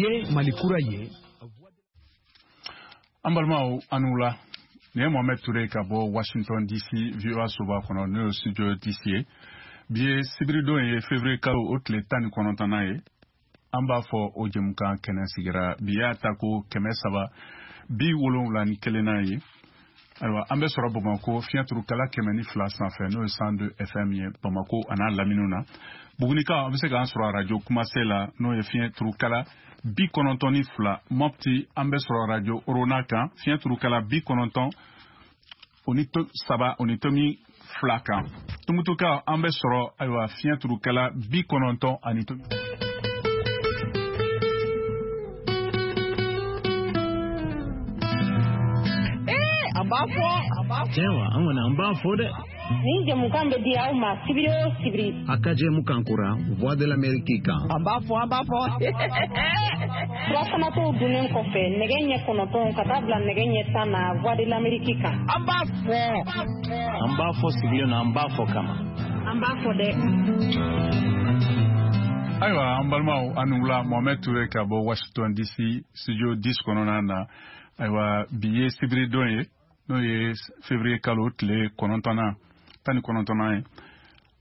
Ye Mali kura ye. An balimaw, an wula. Nin ye Mohamed Touré ka bɔ Washington DC, VOA soba kɔnɔ, n'o ye studio DC ye. Bi ye sibiridon ye, février kalo o tile 19nan ye. An b'a fɔ o jɛmukan kɛnɛ sigira. Bi y'a ta ko 371nan ye. Ayiwa, an bɛ sɔrɔ Bamakɔ fiɲɛturukala 102 sanfɛ, n'o ye 102 FM ye Bamakɔ a n'a laminiw na. Bugunikaw, an bɛ se k'an sɔrɔ arajo Kumase la, n'o ye fiɲɛturukala 92. Mɔpti, an bɛ sɔrɔ arajo Orona kan, fiɲɛturukala 93 o ni tomi 2 kan. Tumutukaw, an bɛ sɔrɔ ayiwa fiɲɛturukala 90 ani tomi. An b'a fɔ, an b'a fɔ. Tiɲɛ wa, an kɔni an b'a fɔ dɛ. Nin jɛmukan bɛ di aw ma sibiri o sibiri. A ka jɛmukan kura Voix de l'Amérique kan. An b'a fɔ, an b'a fɔ. Furafanatɔw dunnen kɔfɛ nɛgɛ ɲɛ 9 ka taa bila nɛgɛ ɲɛ 10 na Voix de l'Amérique kan. An b'a fɔ. An b'a fɔ sigilen na, an b'a fɔ kama. An b'a fɔ dɛ. Ayiwa, an balimaw, an ni wula. Mohamed Touré ka bɔ Washington DC, studio 10 kɔnɔna na. Ayiwa, bi ye sibiridon ye, n'o ye février kalo tile 9nan, 19nan ye.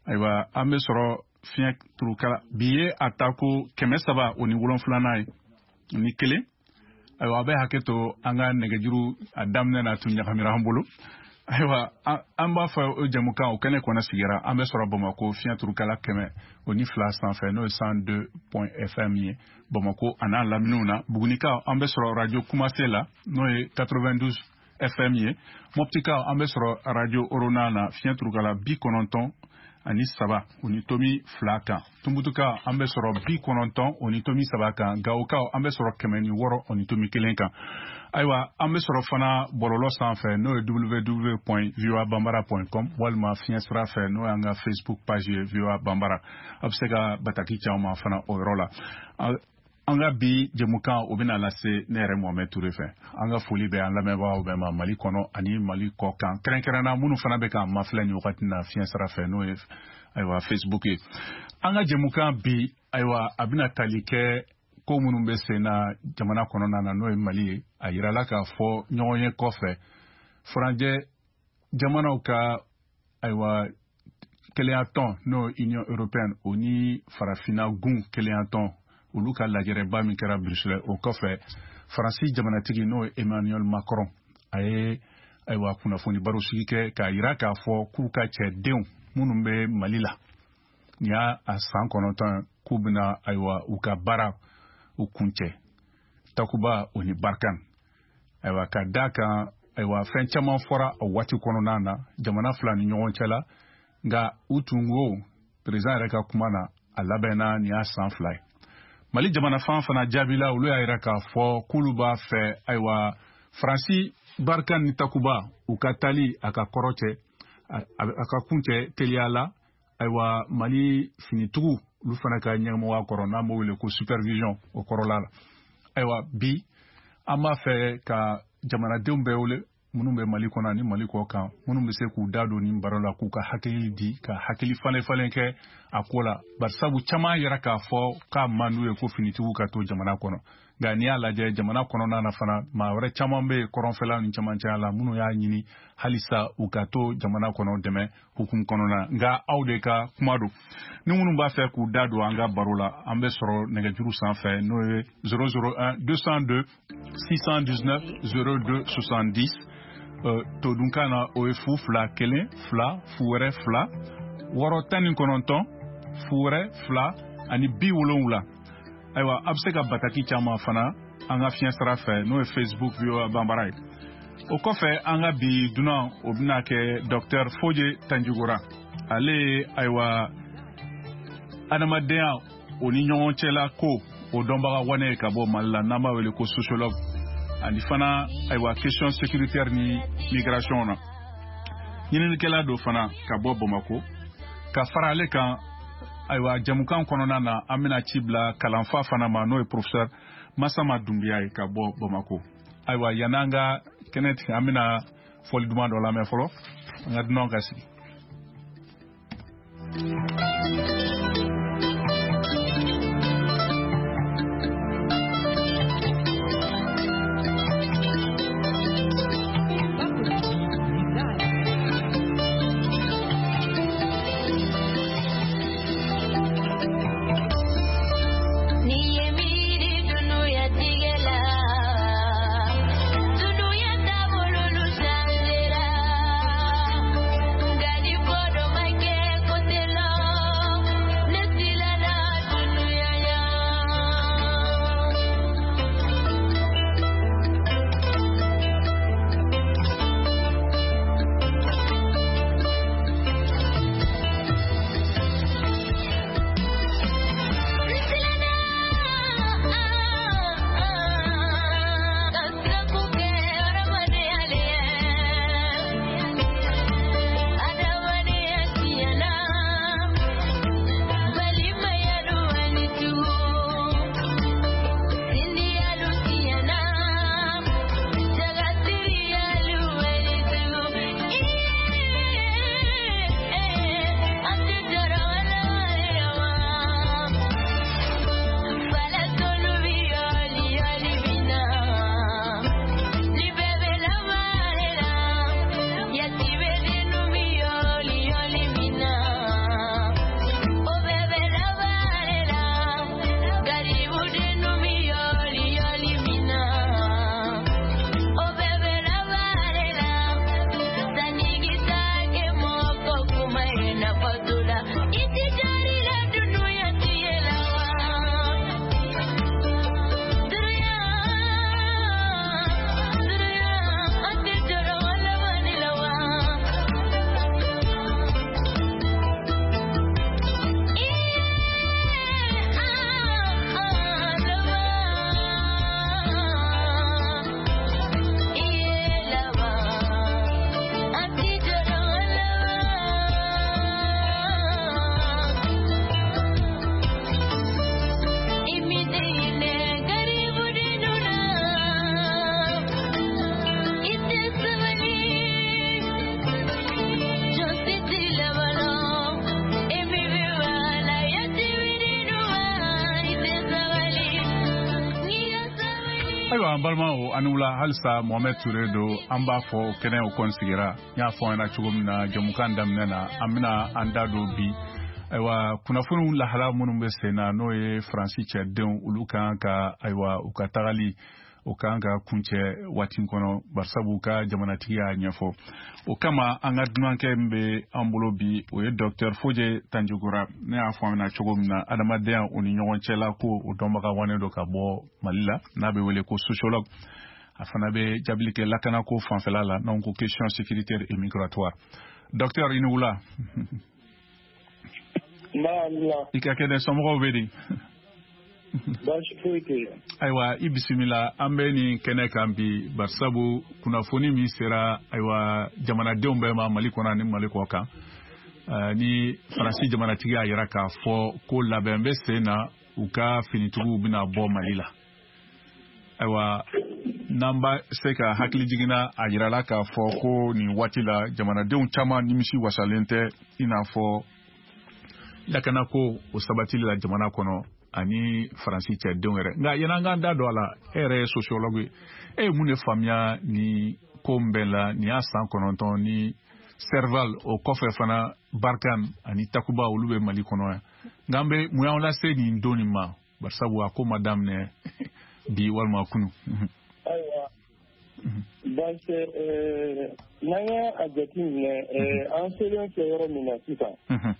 Ayiwa, an bɛ sɔrɔ fiɲɛ turukala. Bi ye a ta ko 307nan ye ni kelen. Ayiwa, a bɛ hakɛ to, an ka nɛgɛjuru a daminɛ na tun ɲagamira an bolo. Ayiwa, an b'a fɔ o jɛmukan o kɛnɛ kɔnɔ sigira. An bɛ sɔrɔ Bamakɔ fiɲɛ turukala 102 sanfɛ, n'o ye 102 point FM ye Bamakɔ a n'a laminiw na. Bugunikaw, an bɛ sɔrɔ radio Kumase la, n'o ye 92 FM ye. Mɔptikaw, an bɛ sɔrɔ radio Orona na, fiɲɛ turukala 93 o ni tomi 2 kan. Tumutukaw, an bɛ sɔrɔ 90 o ni tomi 3 kan. Gawokaw, an bɛ sɔrɔ 106 o ni tomi 1 kan. Ayiwa, an bɛ sɔrɔ fana bɔlɔlɔ sanfɛ, n'o ye www.voabambara.com, walima fiɲɛ sira fɛ, n'o y'an ka Facebook page ye VOA Bambara. A bɛ se ka bataki caman fana o yɔrɔ la. An ka bi jɛmukan o bɛna lase ne yɛrɛ Mohamed Touré fɛ. An ka foli bɛ an lamɛnbagaw bɛɛ ma Mali kɔnɔ ani Mali kɔ kan, kɛrɛnkɛrɛnna minnu fana bɛ k'an mafilɛ nin wagati na fiɲɛ sira fɛ, n'o ye ayiwa Facebook ye. An ka jɛmukan bi, ayiwa, a bɛna tali kɛ ko minnu bɛ sen na jamana kɔnɔna na, n'o ye Mali ye. A yirala k'a fɔ ɲɔgɔn ye kɔfɛ, furancɛ jamanaw ka ayiwa kelenyatɔn, n'o ye Union européenne, o ni farafinna gun kelenyatɔn, olu ka lajɛrɛba min kɛra Bruxelles, o kɔfɛ Faransi jamanatigi, n'o ye Emmanuel Macron, a ye ayiwa kunnafoni barosigi kɛ k'a yira k'a fɔ k'u ka cɛdenw minnu bɛ Mali la, nin y'a a san 9, k'u bɛna ayiwa u ka baara u kuncɛ Takuba o ni Barkhane. Ayiwa, ka da kan, ayiwa, fɛn caman fɔra o waati kɔnɔna na jamana fila ni ɲɔgɔn cɛ la. Nka u tun ko président yɛrɛ ka kuma na, a labɛnna nin y'a san 2 ye. Mali jamana fan fana jaabila, olu y'a yira k'a fɔ k'olu b'a fɛ ayiwa Faransi Barkhane ni Takuba u ka tali a ka kɔrɔ cɛ, a ka kuncɛ teliya la. Ayiwa, Mali finitigiw olu fana ka ɲɛmɔgɔya kɔrɔ, n'an b'o wele ko supervision, o kɔrɔla la. Ayiwa, bi an b'a fɛ ka jamanadenw bɛɛ wele minnu bɛ Mali kɔnɔ ani Mali kɔ kan, minnu bɛ se k'u da don nin baro la, k'u ka hakili di, ka hakili falen falen kɛ a ko la, barisabu caman yɛrɛ k'a fɔ k'a man d'u ye ko finitigiw ka to jamana kɔnɔ. Nka n'i y'a lajɛ jamana kɔnɔna na fana, maa wɛrɛ caman bɛ yen kɔrɔnfɛla ni camancɛya la minnu y'a ɲini halisa u ka to jamana kɔnɔ dɛmɛ hukumu kɔnɔna. Nka aw de ka kuma don. Ni minnu b'a fɛ k'u da don an ka baro la, an bɛ sɔrɔ nɛgɛjuru sanfɛ, n'o ye 001 202 619 02 70. Todunkan na, o ye 0 2 1 2 0 2 6 19 0 2 ani 70. Ayiwa, a bɛ se ka bataki caman fana an ka fiɲɛ sira fɛ, n'o ye Facebook VOA Bambara ye. O kɔfɛ, an ka bi dunan, o bɛna kɛ docteur Foje Tanjugora. Ale ye ayiwa adamadenya o ni ɲɔgɔn cɛla ko o dɔnbaga wane ye ka bɔ Mali la, n'an b'a wele ko sociologue, ani fana ayiwa question sécuritaire ni migration na ɲininikɛla do fana ka bɔ Bamako. Ka fara ale kan, ayiwa, jamukan kɔnɔna na, an bɛna ci bila kalanfa fana ma, n'o ye professeur Masama Dunbiya ye ka bɔ Bamako. Ayiwa, yan'an ka kɛnɛ tigɛ, an bɛna fɔli duman dɔ lamɛn fɔlɔ, an ka dunanw ka sigi. Ayiwa, an balimaw, ani wula halisa. Mohamɛd Ture don. An b'a fɔ kɛnɛ o kɔni sigira. N y'a fɔ an ɲɛna cogo min na jɛmukan daminɛ na, an bɛna an da don bi, ayiwa, kunnafoniw lahala minnu bɛ sen na, n'o ye Faransi cɛdenw olu kan ka, ayiwa, u ka tagali o kan ka kuncɛ waati kɔnɔ, barisabu u ka jamanatigi y'a ɲɛfɔ. O kama, an ka dunankɛ min bɛ an bolo bi, o ye Docteur Foje Tanjugura. Ne y'a fɔ an ɲɛna cogo min na, adamadenya o ni ɲɔgɔn cɛla ko o dɔnbaga wanen don ka bɔ Mali la, n'a bɛ wele ko sociologue. A fana bɛ jaabili kɛ lakanako fanfɛla la, n'anw ko question sécuritaire et migratoire. Docteur, i ni wula. I ka kɛnɛ, somɔgɔw bɛ di? Baasi foyi tɛ yen. Ayiwa, i bisimila. An bɛ nin kɛnɛ kan bi barisabu kunnafoni min sera, ayiwa, jamanadenw bɛɛ ma Mali kɔnɔ ani Mali kɔ kan, ni Faransi jamanatigi y'a yira k'a fɔ ko labɛn bɛ sen na, u ka finitigiw bɛna bɔ Mali la. Ayiwa, n'an b'a se ka hakili jiginna, a yirala k'a fɔ ko nin waati la, jamanadenw caman nimisi wasalen tɛ, i n'a fɔ lakanako o sabatili la jamana kɔnɔ ani Faransi cɛdenw yɛrɛ. Nka yan'an k'an da don a la, e yɛrɛ ye sociologue ye, e ye mun de faamuya nin ko in bɛɛ la? Nin y'a san 9 ni Serval, o kɔfɛ fana Barkhane ani Takuba, olu bɛ Mali kɔnɔ yan. Nka an bɛ mun y'anw lase nin don nin ma, barisabu a ko ma daminɛ bi walima kunu? Ayiwa, baasi tɛ. N'an y'a jateminɛ, an selen filɛ yɔrɔ min na sisan,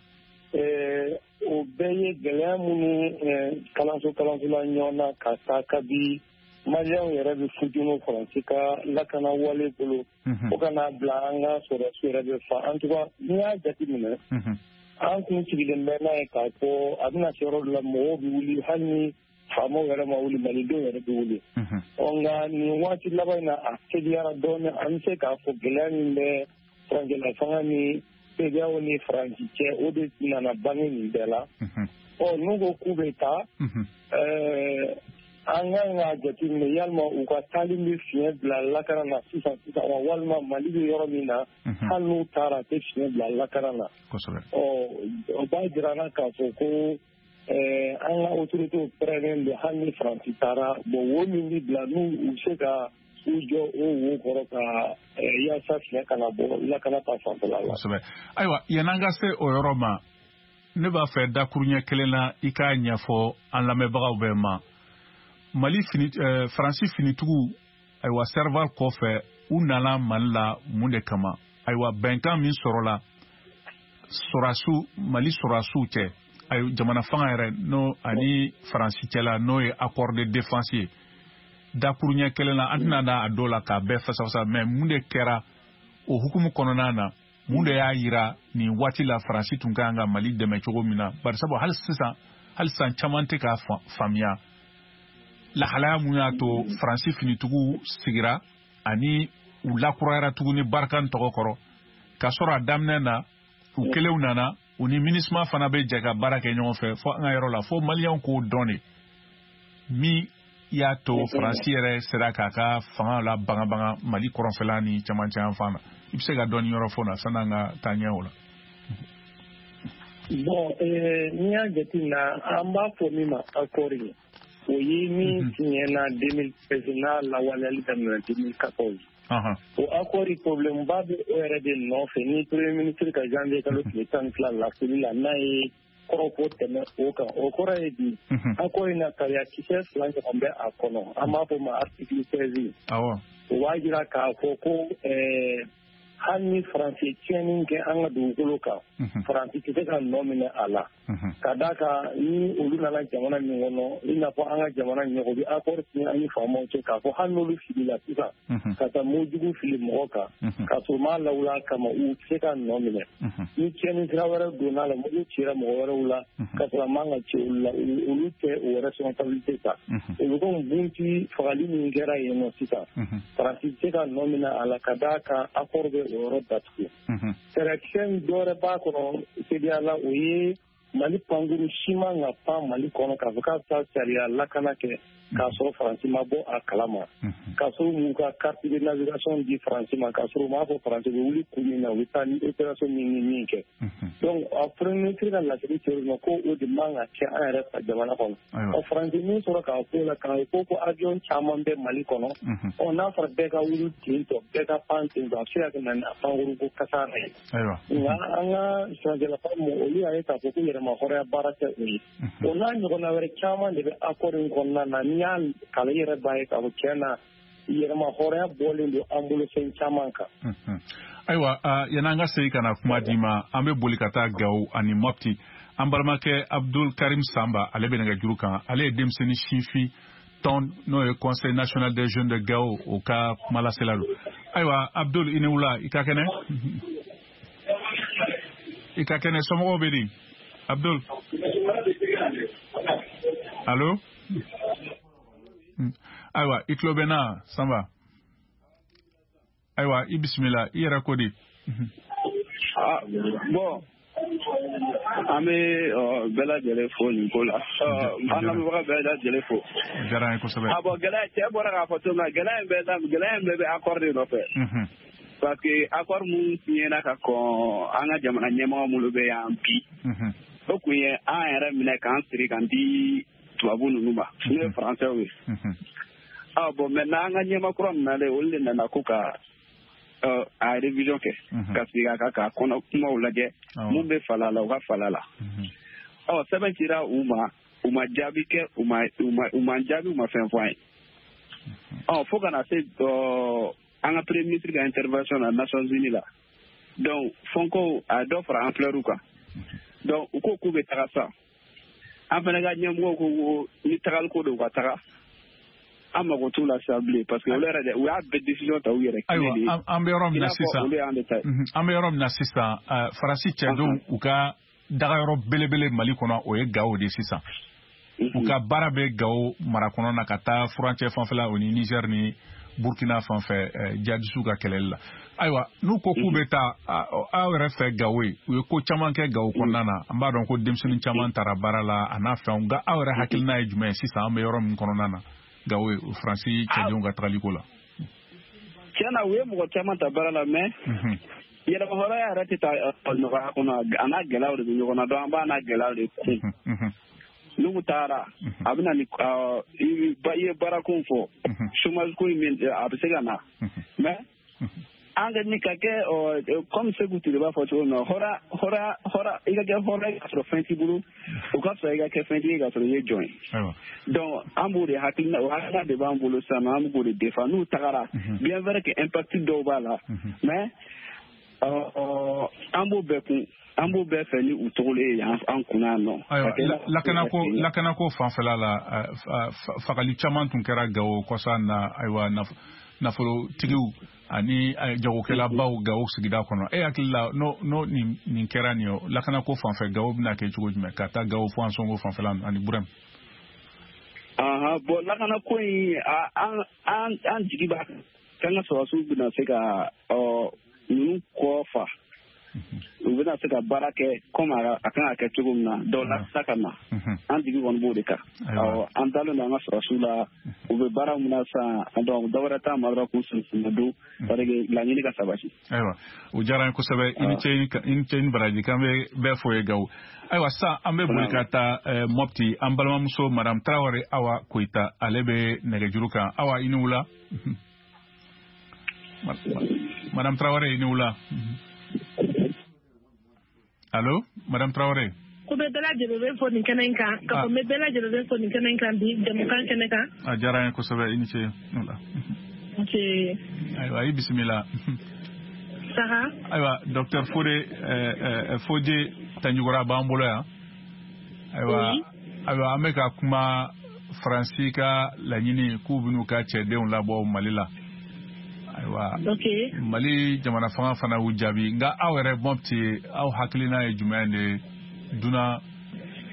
o bɛɛ ye gɛlɛya minnu kalanso kalansola ɲɔgɔn na ka taa kabi Maliyɛnw yɛrɛ bɛ futunu Faransi ka lakana wale bolo, fo ka n'a bila an ka sɔrɔdasiw yɛrɛ bɛ fa. En tout cas, n'i y'a jateminɛ, an kun sigilen bɛ n'a ye k'a fɔ a bɛna se yɔrɔ dɔ la, mɔgɔw bɛ wuli, hali ni faamaw yɛrɛ ma wuli, malidenw yɛrɛ bɛ wuli. Ɔ nka nin waati laban in na, a teliyara dɔɔnin. An bɛ se k'a fɔ gɛlɛya min bɛ furancɛla fanga ni CEDEAO ni Faransi cɛ, o de nana bange nin bɛɛ la. Ɔ n'u ko k'u bɛ taa, an kan k'a jateminɛ yalima u ka taali bɛ fiɲɛ bila lakana na sisan sisan wa, walima Mali bɛ yɔrɔ min na, hali n'u taara, a tɛ fiɲɛ bila lakana na? Ɔ o b'a jira an na k'a fɔ ko an ka autorités pɛrɛnnen don. Hali ni Faransi taara, bon, wo min bɛ bila, n'u u bɛ se ka u jɔ o wo kɔrɔ ka yaasa fiɲɛ kana bɔ lakana ta fanfɛla la. Kosɛbɛ. Ayiwa, yan'an ka se o yɔrɔ ma, ne b'a fɛ dakuruɲɛ kelen na, i k'a ɲɛfɔ an lamɛnbagaw bɛɛ ma. Mali fini, Faransi finitigiw, ayiwa, Serval kɔfɛ, u nana Mali la mun de kama? Ayiwa, bɛnkan min sɔrɔla sɔrɔdasiw, Mali sɔrɔdasiw cɛ, ayiwa, jamana fanga yɛrɛ n'o ani Faransi cɛla, n'o ye accord de défense ye, dakuruɲɛ kelen na, an tɛna da a dɔw la k'a bɛɛ fasafasa, mais mun de kɛra o hukumu kɔnɔna na? Mun de y'a yira nin waati la Faransi tun kan ka Mali dɛmɛ cogo min na? Barisabu hali sisan, hali sisan, caman tɛ k'a faamuya lahalaya mun y'a to Faransi finitigiw sigira ani u lakurayara tuguni Barkhane tɔgɔ kɔrɔ, k'a sɔrɔ a daminɛ na, u kelenw nana, u ni MINUSMA fana bɛ jɛ ka baara kɛ ɲɔgɔn fɛ. Fo an ka yɔrɔ la, fo Maliyɛnw k'o dɔn de min y'a to Faransi yɛrɛ sera k'a ka fanga la bagabaga Mali kɔrɔnfɛla ni cɛmancɛ yan fan na. I bɛ se ka dɔɔni yɔrɔ fɔ na sanni an ka taa ɲɛ o la? Bon, n'i y'a jateminɛ, an b'a fɔ min ma accord ye, o ye min signé na 2013, n'a lawaleyali daminɛ 2014. O accord, problème ba bɛ o yɛrɛ de nɔfɛ ni premier ministre ka janvier kalo tile 12 laseli la, n'a ye kɔrɔfɔ tɛmɛ o kan. O kɔrɔ ye di? Accord in na, sariya kisɛ fila ɲɔgɔn bɛ a kɔnɔ, an b'a fɔ ma article 16. O b'a jira k'a fɔ ko hali ni Faransi tiɲɛni kɛ an ka dugukolo kan, Faransi tɛ se ka nɔ minɛ a la, ka d'a kan ni olu nana jamana min kɔnɔ, i n'a fɔ an ka jamana ɲɛmɔgɔ bɛ accord signé an ni faamaw cɛ k'a fɔ hali n'olu filila sisan ka taa mugujugu fili mɔgɔ kan, k'a sɔrɔ u m'a lawuli a kama, u tɛ se ka nɔ minɛ. Ni tiɲɛni sira wɛrɛ donna a la, mugu cira mɔgɔ wɛrɛw la k'a sɔrɔ a man ka ci olu la, olu tɛ o responsabilité ta. O bɛ komi Bounti fagali min kɛra yen nɔ sisan, Faransi tɛ se ka nɔ minɛ a la, ka d'a kan accord bɛ o yɔrɔ datugu. Sariya kisɛ dɔ wɛrɛ b'a kɔnɔ CEDEAO la, o ye Mali pankuru si man ka pan Mali kɔnɔ k'a fɔ k'a bɛ taa sariya lakana kɛ k'a sɔrɔ Faransi ma bɔ a kalama, k'a sɔrɔ u m'u ka carte de navigation di Faransi ma, k'a sɔrɔ u m'a fɔ Faransi bɛ wuli kun min na u bɛ taa ni opération min ni min kɛ. Donc a premier ministre ka laseli kɛra ma ko o de man ka kɛ an yɛrɛ fa jamana kɔnɔ. Ɔ Faransi min sɔrɔ k'a fɔ o la k'a ko ko avion caman bɛ Mali kɔnɔ, ɔ n'a fɔra bɛɛ ka wuli ten tɔ, bɛɛ ka pan ten tɔ, a bɛ se ka kɛ na ni pankuru ko kasara ye. Nka an ka sɛnɛkɛlafa mɔgɔ olu y'a ye k'a fɔ ko yɛrɛmahɔrɔnya baara tɛ o ye. O n'a ɲɔgɔnna wɛrɛ caman de bɛ accord in kɔnɔna na, n'i y'a kalan i yɛrɛ b'a ye k'a fɔ tiɲɛ na yɛrɛmahɔrɔnya bɔlen don an bolo fɛn caman kan. Ayiwa, yan'an ka segin ka na kuma d'i ma, an bɛ boli ka taa Gawo ani Mopti. An balimakɛ Abdul Karim Samba, ale bɛ nɛgɛjuru kan. Ale ye denmisɛnnin sifin tɔn n'o ye Conseil national des jeunes de Gao, o ka kumalasela don. Ayiwa Abdul, i ni wula, i ka kɛnɛ? I ka kɛnɛ, somɔgɔw bɛ di? Abdul? Allo? Ayiwa, i tulo bɛ n na Sanba? Ayiwa, i bisimila, i yɛrɛ ko di? Bon, an bɛ bɛɛ lajɛlen fo nin ko la, an lamɛnbaga bɛɛ lajɛlen fo. O diyara an ye kosɛbɛ. Ah bon, gɛlɛya cɛ bɔra k'a fɔ cogo min na, gɛlɛya in bɛɛ bɛ accord de nɔfɛ. Parce que accord mun signera ka kɔn an ka jamana ɲɛmɔgɔ minnu bɛ yan bi, o kun ye an yɛrɛ minɛ k'an siri k'an di tubabu ninnu ma, n'o ye français ye. Ah bon, maintenant an ka ɲɛmaa kura min nalen, olu de nana ko ka a révision kɛ, ka segin a kan k'a kɔnɔ kumaw lajɛ, mun bɛ fala la u ka fala la. Ɔ sɛbɛn cira u ma, u ma jaabi kɛ, u ma jaabi, u ma fɛn fɔ an ye. Ɔ fo ka na se an ka premier ministre ka intervention na Nations Unies la. Donc fɔnko a ye dɔ fara ampleur kan. Donc u ko k'u bɛ taga sa, an fana ka ɲɛmɔgɔw ko ni tagali ko don u ka taga. An mago t'u la sisan bilen, parce que olu yɛrɛ de u y'a bɛɛ décision ta u yɛrɛ kelen de ye. Ayiwa, an bɛ yɔrɔ min na sisan, an bɛ yɔrɔ min na sisan, Faransi cɛdenw u ka dagayɔrɔ belebele Mali kɔnɔ, o ye Gawo de sisan. U ka baara bɛ Gawo mara kɔnɔ na ka taa furancɛ fanfɛla o ni Niger ni Burkina fanfɛ jihadisiw ka kɛlɛli la. Ayiwa, n'u ko k'u bɛ taa aw yɛrɛ fɛ Gawo ye, u ye ko caman kɛ Gawo kɔnɔna na, an b'a dɔn ko denmisɛnnin caman taara baara la a n'a fɛnw, nka aw yɛrɛ hakilina ye jumɛn ye sisan an bɛ yɔrɔ min kɔnɔna na Gawo ye Faransi cɛdenw ka tagaliko la? Tiɲɛ na, u ye mɔgɔ caman ta baara la, mais yɛrɛmahɔrɔnya yɛrɛ tɛ taa nɔgɔya kɔnɔ, a n'a gɛlɛyaw de bɛ ɲɔgɔn na, donc an b'a n'a gɛlɛyaw de kun. N'u taara, a bɛ na ni i ye baarako fɔ, chômage ko in a bɛ se ka na, mais an ka ni ka kɛ comme Sekou Touré b'a fɔ cogo min na, hɔra i ka kɛ hɔrɔn ye k'a sɔrɔ fɛn t'i bolo, o ka fisa i ka kɛ fɛntigi ye k'a sɔrɔ i ye jɔn ye. Donc an b'o de hakilina, o hakilina de b'an bolo sisan, an b'o de défend. N'u tagara, bien vrai que impact dɔw b'a la, mais an b'o bɛɛ kun, an b'o bɛɛ fɛ ni u togolen ye an kunna yan nɔ. Ayiwa, lakanako fanfɛla la, fagali caman tun kɛra Gawo kɔsa na, ayiwa nafolotigiw ani jagokɛlabaw Gawo sigida kɔnɔ. E hakili la n'o nin kɛra nin ye, lakanako fanfɛ Gawo bɛna kɛ cogo jumɛn ka taa Gawo fo Ansongo fanfɛla ani Burɛm? Bon, lakanako in an jigi b'a kan k'an ka sɔrɔdasiw bɛna se ka ninnu kɔ fa. U bɛna se ka baara kɛ comme a kan ka kɛ cogo min na, donc lakana ka na, an jigi kɔni b'o de kan. An dalen don an ka sɔrɔdasiw la, u bɛ baara min na sisan, donc dɔ wɛrɛ t'a ma dɔrɔn k'u senna don, parce que laɲini ka sabati. Ayiwa, o diyara an ye kosɛbɛ, i ni ce, i ni ce, i ni baraji, k'an bɛ bɛɛ fo ye Gawo. Ayiwa, sisan an bɛ boli ka taa Mopti, an balimamuso Madame Tarawele Awa Koyita, ale bɛ nɛgɛjuru kan. Awa, i ni wula. Madame Tarawele, i ni wula. Allo, Madame Traoré. Ko bɛ bɛɛ lajɛlen fo nin kɛnɛ in kan, ka fɔ n bɛ bɛɛ lajɛlen fo nin kɛnɛ in kan bi jamukan kɛnɛ kan. A diyara an ye kosɛbɛ, i ni ce. Nse. Ayiwa, i bisimila. Saha. Ayiwa, docteur Fode Fodé Tanjugora b'an bolo yan. Ayiwa, ayiwa, an bɛ ka kuma Faransi ka laɲini k'u bɛn'u ka cɛdenw labɔ Mali la. Ayiwa, Mali jamana fanga fana y'u jaabi, nka aw yɛrɛ Mopti, aw hakilina ye jumɛn de dunan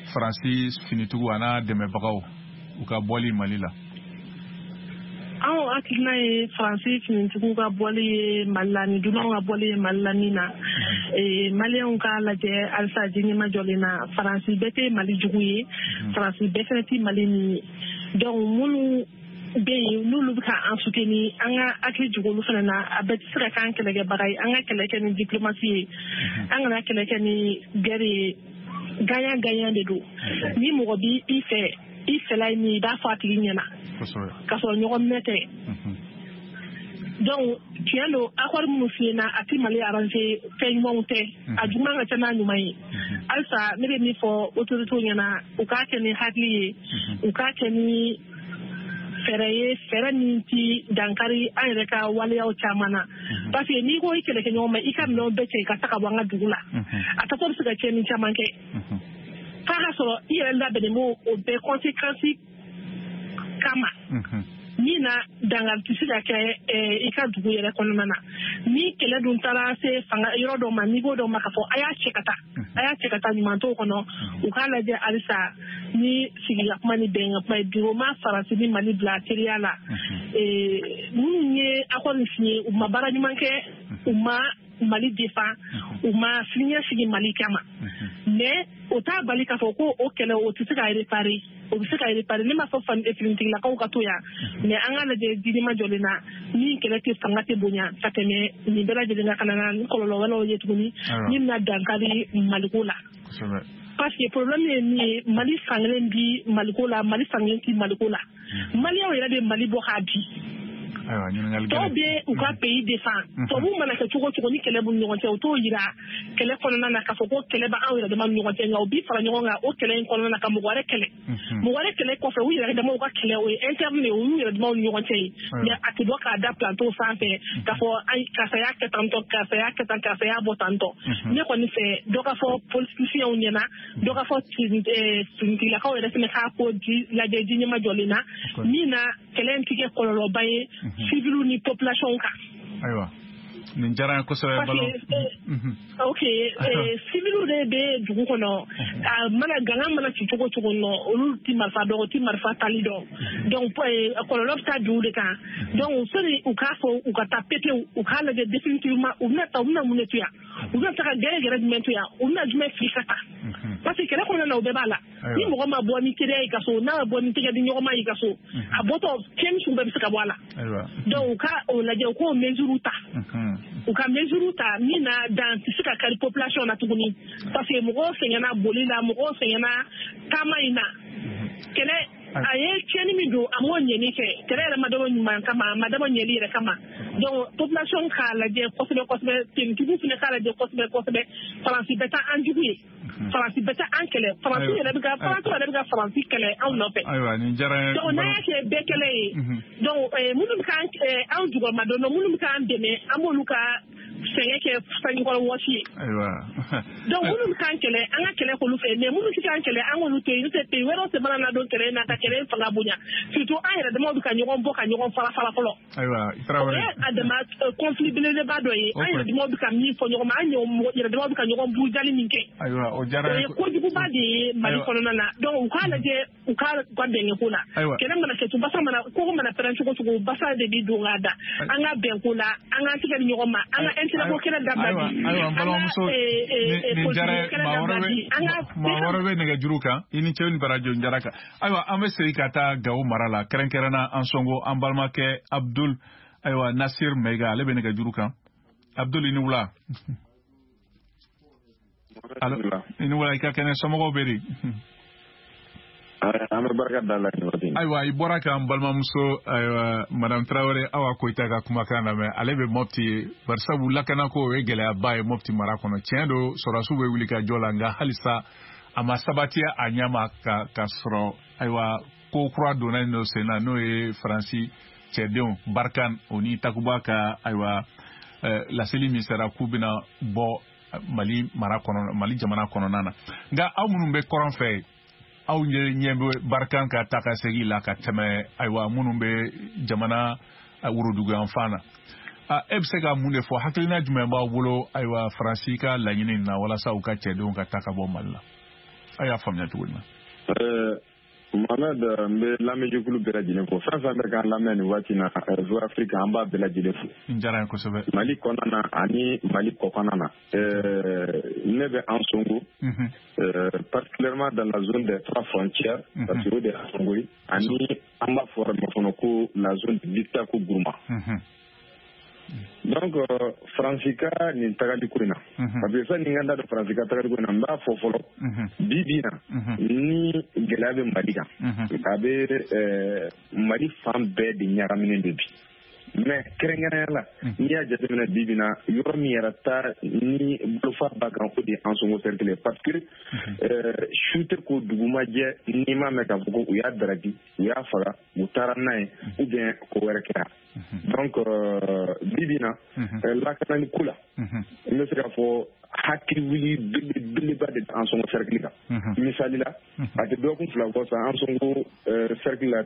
Faransi finitigiw a n'a dɛmɛbagaw u ka bɔli Mali la? Anw hakilina ye Faransi finitigiw ka bɔli ye Mali la ni dunanw ka bɔli ye Mali la min na, Maliyɛnw k'a lajɛ halisa diɲɛma jɔlen na, Faransi bɛɛ tɛ Mali jugu ye, Faransi bɛɛ fɛnɛ tɛ Mali nin ye. Donc minnu bɛ yen n'olu bɛ ka an soutenir, an ka hakili jigin olu fana na. A bɛɛ tɛ se ka k'an kɛlɛkɛbaga ye. An ka kɛlɛ kɛ ni diplomatie ye, an kana kɛlɛ kɛ ni guerre ye. Gagnant gagnant de don. Ni mɔgɔ b'i i fɛ, i fɛla ye min ye, i b'a fɔ a tigi ɲɛna k'a sɔrɔ ɲɔgɔn minɛ tɛ. Donc tiɲɛ don, accord minnu signé a tɛ Mali arranger, fɛn ɲumanw tɛ, a juguman ka ca n'a ɲuman ye. Halisa ne bɛ min fɔ autorités ɲɛna, u k'a kɛ ni hakili ye, u k'a kɛ ni fɛɛrɛ ye, fɛɛrɛ min ti dankari an yɛrɛ ka waleyaw caman na. Parce que n'i ko i kɛlɛkɛɲɔgɔn ma i ka minɛnw bɛɛ cɛ i ka taa ka bɔ an ka dugu la, a tatɔ bɛ se ka tiɲɛni caman kɛ, f'a ka sɔrɔ i yɛrɛ labɛnnen b'o o bɛɛ conséquence kama, min na dankari tɛ se ka kɛ i ka dugu yɛrɛ kɔnɔna na. Ni kɛlɛ dun taara se fanga yɔrɔ dɔ ma, niveau dɔ ma, k'a fɔ a y'a cɛ ka taa, a y'a cɛ ka taa, ɲuman t'o kɔnɔ. U k'a lajɛ halisa ni sigika kuma ni bɛnkan kuma ye. Bi o ma Faransi ni Mali bila teriya la. Minnu ye accord in signé, u ma baara ɲuman kɛ, u ma Mali défend, u ma siniɲɛ sigi Mali kama. Mais o t'a bali k'a fɔ ko o kɛlɛ o tɛ se ka réparer, o bɛ se ka réparer. Ne m'a fɔ finitigilakaw ka to yan, mais an k'a lajɛ diinɛ jɔlen na, ni kɛlɛ tɛ fanga tɛ bonya ka tɛmɛ nin bɛɛ lajɛlen kan, ka na ni kɔlɔlɔ wɛrɛw ye tuguni min bɛna dankari Maliko la. Parce que problème ye min ye, Mali fankelen bi Maliko la, Mali fankelen ti Maliko la. Maliyɛnw yɛrɛ de Mali bɔ k'a di. Tɔw bɛ u ka pays défend. Tubabuw mana kɛ cogo o cogo, ni kɛlɛ b'u ni ɲɔgɔn cɛ, u t'o yira kɛlɛ kɔnɔna na k'a fɔ ko kɛlɛ bɛ anw yɛrɛ dama ni ɲɔgɔn cɛ, nka u bi fara ɲɔgɔn kan o kɛlɛ in kɔnɔna na ka mɔgɔ wɛrɛ kɛlɛ. Mɔgɔ wɛrɛ kɛlɛ kɔfɛ, u yɛrɛ damaw ka kɛlɛ, o ye interne ye, o y'u yɛrɛ damaw ni ɲɔgɔn cɛ ye. Mais a tɛ bɔ k'a da plateau sanfɛ k'a fɔ karisa y'a kɛ tan tɔ, karisa y'a kɛ tan, karisa y'a bɔ tan tɔ. Ne kɔni fɛ, dɔ ka fɔ politiciens ɲɛna, dɔ ka fɔ finitigilakaw yɛrɛ fana k'a ko lajɛ diɲɛma jɔlen na, min na kɛlɛ in tɛ kɛ kɔlɔlɔba ye civils ni population kan. Ayiwa, nin diyara n ye kosɛbɛ balo. Ok, civils de bɛ dugu kɔnɔ, a mana gangan mana ci cogo cogo nɔ, olu ti marifa dɔn, u ti marifa tali dɔn. Donc kɔlɔlɔ bɛ taa dugu de kan. Donc sani u k'a fɔ u ka taa pepewu, u k'a lajɛ définitivement u bɛna taa, u bɛna mun de to yan, u bɛna taga gɛrɛ gɛrɛ jumɛn to yan, u bɛna jumɛn fili ka taa. Parce que kɛlɛ kɔnɔna na, o bɛɛ b'a la. Ni mɔgɔ ma bɔ ni teriya ye ka so, n'a ma bɔ ni tɛgɛ di ɲɔgɔn ma ye ka so, a bɔtɔ tiɲɛni sugu bɛɛ bɛ se ka bɔ a la. Donc u ka o lajɛ, u k'o mesure ta, u ka mesure ta min na dan tɛ se ka kari population na tuguni. Parce que mɔgɔw sɛgɛnna boli la, mɔgɔw sɛgɛnna taama in na. Kɛlɛ a ye tiɲɛni min don, a m'o ɲɛni kɛ. Kɛlɛ yɛrɛ ma dabɔ ɲuman kama, a ma dabɔ ɲɛli yɛrɛ kama. Donc population k'a lajɛ kosɛbɛ kosɛbɛ, tenitigiw fana k'a lajɛ kosɛbɛ kosɛbɛ. Faransi bɛɛ tɛ an jugu ye, Faransi bɛɛ tɛ an kɛlɛ. Faransi yɛrɛ bɛ ka Faransi yɛrɛ bɛ ka Faransi kɛlɛ anw nɔfɛ. Ayiwa, nin diyara n ye. Donc n'an y'a kɛ bɛɛ kɛlɛ ye, donc minnu bɛ k'an anw jukɔrɔma dɔn, minnu bɛ k'an dɛmɛ, an b'olu ka sɛgɛn kɛ sanjikɔrɔ wɔsi ye. Donc minnu bɛ k'an kɛlɛ, an ka kɛlɛ k'olu fɛ, mais minnu tɛ k'an kɛlɛ, an k'olu to yen. N'o tɛ, pays wɛrɛw tɛ mana na don kɛlɛ in na ka kɛlɛ in fanga bonya. Surtout an yɛrɛ damaw bɛ ka ɲɔgɔn bɔ ka ɲɔgɔn fara fara fɔlɔ. Ayiwa, i Tarawele. O ye a dama conflit belebeleba dɔ ye. An yɛrɛ damaw bɛ ka min fɔ ɲɔgɔn ma, an yɛrɛ damaw bɛ ka ɲɔgɔn burujali min kɛ. Ayiwa, o diyara n ye. O ye kojuguba de ye Mali kɔnɔna na. Donc u k'a lajɛ, u ka bɛn ko la. Kɛlɛ mana kɛ, basa mana koko mana pɛrɛn cogo cogo, basa de bi don k'a da. An ka bɛn ko la, an k'an tigɛ di ɲɔgɔn ma, an ka intérêt ko kɛlɛ dabila bi. Ayiwa, n balimamuso, nin diyara n ye. Maa wɛrɛ bɛ nɛgɛjuru kan. I ni ce ni barajo n diyara kan. Ayiwa, an bɛ segin ka taa Gawo mara la, kɛrɛnkɛrɛnna an sɔngo an balimakɛ Abdul, ayiwa, Nasir Mɛyiga, ale bɛ nɛgɛjuru kan. Abdul, i ni wula. I ni wula, i ka kɛnɛ, somɔgɔw bɛ di? An bɛ barika da la nin waati. Ayiwa, i bɔra k'an balimamuso, ayiwa, madame Tarawele Awa Koyita ka kumakan lamɛn. Ale bɛ Mopti, barisabu lakanako o ye gɛlɛyaba ye Mopti mara kɔnɔ. Tiɲɛ don, sɔrɔdasiw bɛ wuli ka jɔ la, nka halisa a ma sabati a ɲɛ ma ka sɔrɔ. Ayiwa, ko kura donna yen nɔ sen na, n'o ye Faransi cɛdenw Barkhane o ni Takuba ka, ayiwa, laseli min sera k'u bɛna bɔ Mali mara kɔnɔ, Mali jamana kɔnɔna na. Nka aw minnu bɛ kɔrɔn fɛ, aw ɲɛ bɛ Barkhane ka taa ka segin la ka tɛmɛ, ayiwa, minnu bɛ jamana woroduguyanfan na. E bɛ se ka mun de fɔ, hakilina jumɛn b'aw bolo, ayiwa, Faransi ka laɲini na walasa u ka cɛdenw ka taa ka bɔ Mali la? A y'a faamuya cogo di na? Mohamed, n bɛ lamɛnjɛkulu bɛɛ lajɛlen fo. Fɛn fɛn bɛ k'an lamɛn nin waati na, VOA Afrique, an b'a bɛɛ lajɛlen fo. N diyara n ye kosɛbɛ. Mali kɔnɔna na ani Mali kɔkɔnɔna na. Ne bɛ Ansongo, particulièrement dans la zone des trois frontières, parce que o de ye Ansongo ye, ani an b'a fɔ yɔrɔ min fana ko la zone de Liptako Gourma. Donc Faransi ka nin tagali ko in na, parce que sani n ka n da don Faransi ka tagali ko in na, n b'a fɔ fɔlɔ, bi bi in na, ni gɛlɛya bɛ Mali kan, a bɛ Mali fan bɛɛ de ɲagaminen don bi. Mais kɛrɛnkɛrɛnnenya la, n'i y'a jateminɛ bi bi in na, yɔrɔ min yɛrɛ ta ni bolofa b'a kan, o de ye Ansongo cercle ye, parce que su tɛ ko dugu ma jɛ n'i m'a mɛn k'a fɔ ko u y'a daraki, u y'a faga, u taara n'a ye, ou bien ko wɛrɛ kɛra. Donc bi bi in na, lakanani ko la, n bɛ se k'a fɔ hakili wuli belebeleba de bɛ Ansongo cercle kan. Misali la, a tɛ dɔgɔkun 2 bɔ sa, Ansongo cercle la,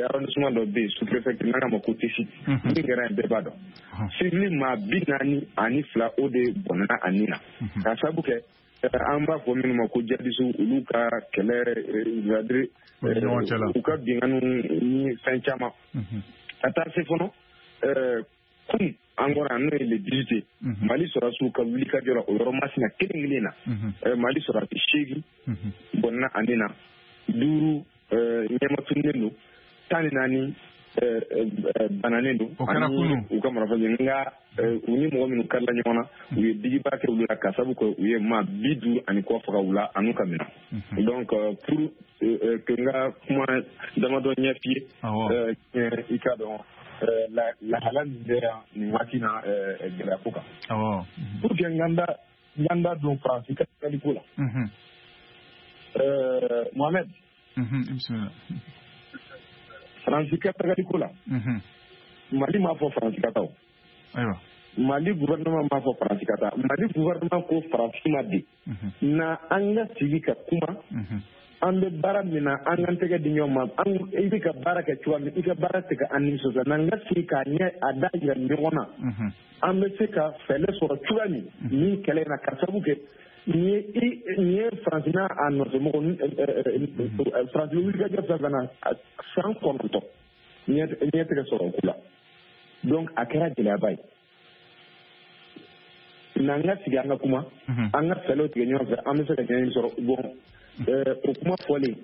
arrondissement dɔ bɛ yen, sous-préfecture, n'an k'a ma ko Tessit, min kɛra yen bɛɛ b'a dɔn. Civil maa 42, o de bɔnɛna a nin na, k'a sababu kɛ an b'a fɔ minnu ma ko jihadistes, olu ka kɛlɛ, c'est-à-dire u ka binkanniw ni fɛn caman. Ka taa se fɔlɔ kun an kɔrɔ n'o ye le 18, Mali sɔrɔdasiw ka wulikajɔ la o yɔrɔ masina kelen kelen na, Mali sɔrɔdasi 8 bɔnna a nin na, 5 ɲɛmatununnen don, 14 bananen don, ani u ka marifa. Nka u ni mɔgɔ minnu karila ɲɔgɔn na, u ye digiba kɛ olu la, ka sababu kɛ u ye maa 50 ani kɔ faga u la an'u ka minɛn. Donc pour que n ka kuma damadɔ ɲɛf'i ye, i k'a dɔn lahala min bɛ yan nin waati na gɛlɛya ko kan. Pour que n ka n da don Faransi ka tagali ko la. Mohamed. Bisimila. Faransi ka tagali ko la. Mali m'a fɔ Faransi ka taa o. Ayiwa. Mali gouvernement m'a fɔ Faransi ka taa. Mali gouvernement ko Faransi ma de. Na an ka sigi ka kuma. An bɛ baara min na, an k'an tɛgɛ di ɲɔgɔn ma, i bɛ ka baara kɛ cogoya min, i ka baara tɛ ka an nisɔndiya, n'an ka sigi k'a ɲɛ a da yira ɲɔgɔn na, an bɛ se ka fɛɛrɛ sɔrɔ cogoya min nin kɛlɛ in na, ka sababu kɛ nin ye Faransi n'a a nɔfɛmɔgɔ, Faransi wulikajɔ fɛn fɛn na san 9 ɲɛ tɛ ka sɔrɔ o ko la. Donc a kɛra gɛlɛyaba ye. N'an ka sigi an ka kuma, an ka fɛɛrɛw tigɛ ɲɔgɔn fɛ, an bɛ se ka ɲɛɲini sɔrɔ. Bon, o kuma fɔlen,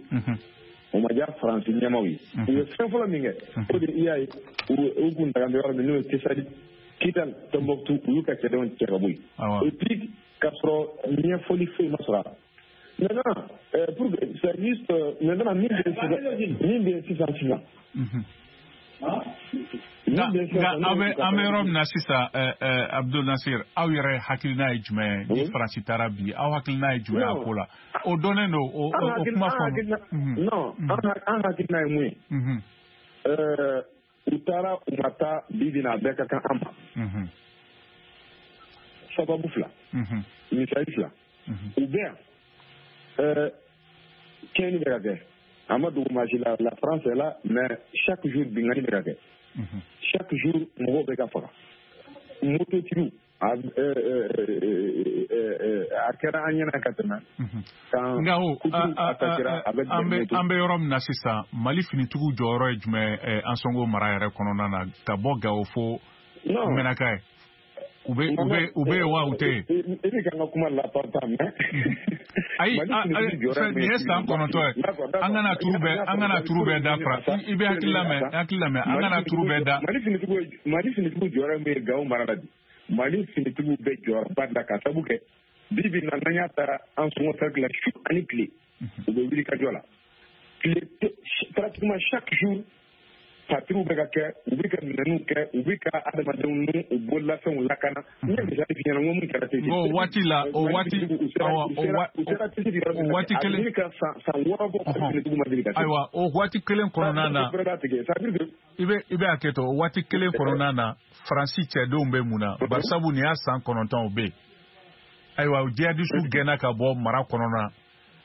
o ma diya Faransi ɲɛmaaw ye. U ye fɛn fɔlɔ min kɛ, o de i y'a ye u kun daga bɛ yɔrɔ min, n'o ye Tesali, Kidal, Tombouctou, u y'u ka cɛdenw cɛ ka bɔ yen. Et puis k'a sɔrɔ ɲɛfɔli foyi ma sɔrɔ a la. Maintenant, pour que c'est juste maintenant min bɛ sisan. Nka an bɛ yɔrɔ min na sisan, Abdul Nasir, aw yɛrɛ hakilina ye jumɛn ye ni Faransi taara bi, aw hakilina ye jumɛn a ko la? O dɔnnen don, o kuma fɔ. Non, an hakilina ye mun ye? U taara u ma taa, bi bi in na a bɛɛ ka kan an ma. Sababu 2, misali 2, u bɛ yan, tiɲɛni bɛ ka kɛ. A ma dugu maa si la, la France est là, mais chaque jour binkanni bɛ ka kɛ. Chaque jour mɔgɔw bɛ ka faga. Mototigiw, a kɛra an ɲɛna ka tɛmɛ. Nka o an bɛ yɔrɔ min na sisan, Mali finitigiw jɔyɔrɔ ye jumɛn Ansongo mara yɛrɛ kɔnɔna na, ka bɔ Gawo fo Mɛnaka ye? U bɛ wa u tɛ yen? I bɛ ka n ka kuma lapanpan, mais. Ayi, nin ye san 9 ye. An kana turu bɛɛ da Faransi. I bɛ hakili lamɛn, an kana turu bɛɛ da. Mali finitigiw jɔyɔrɔ min ye Gawo mara la bi, Mali finitigiw bɛ jɔyɔrɔba de la, ka sababu kɛ bi bi in na, n'an y'a ta Ansongo cercle la, su ani tile, u bɛ wuli ka jɔ la. Tile pratiquement chaque jour, patrouille bɛ ka kɛ, u bɛ ka minɛnw kɛ, u bɛ ka adamadenw n'u u bololafɛnw lakana. N ye misali f'i ɲɛna, n ko mun kɛra Tessit. O waati la, o waati o waati kelen. A ka san 6 bɔ, finitigiw ma deli ka se. Ayiwa, o waati kelen kɔnɔna na. I bɛ hakɛ to, o waati kelen kɔnɔna na, Faransi cɛdenw bɛ mun na? Barisabu nin y'a san 9 o bɛ yen. Ayiwa, jihadisiw gɛnna ka bɔ mara kɔnɔna.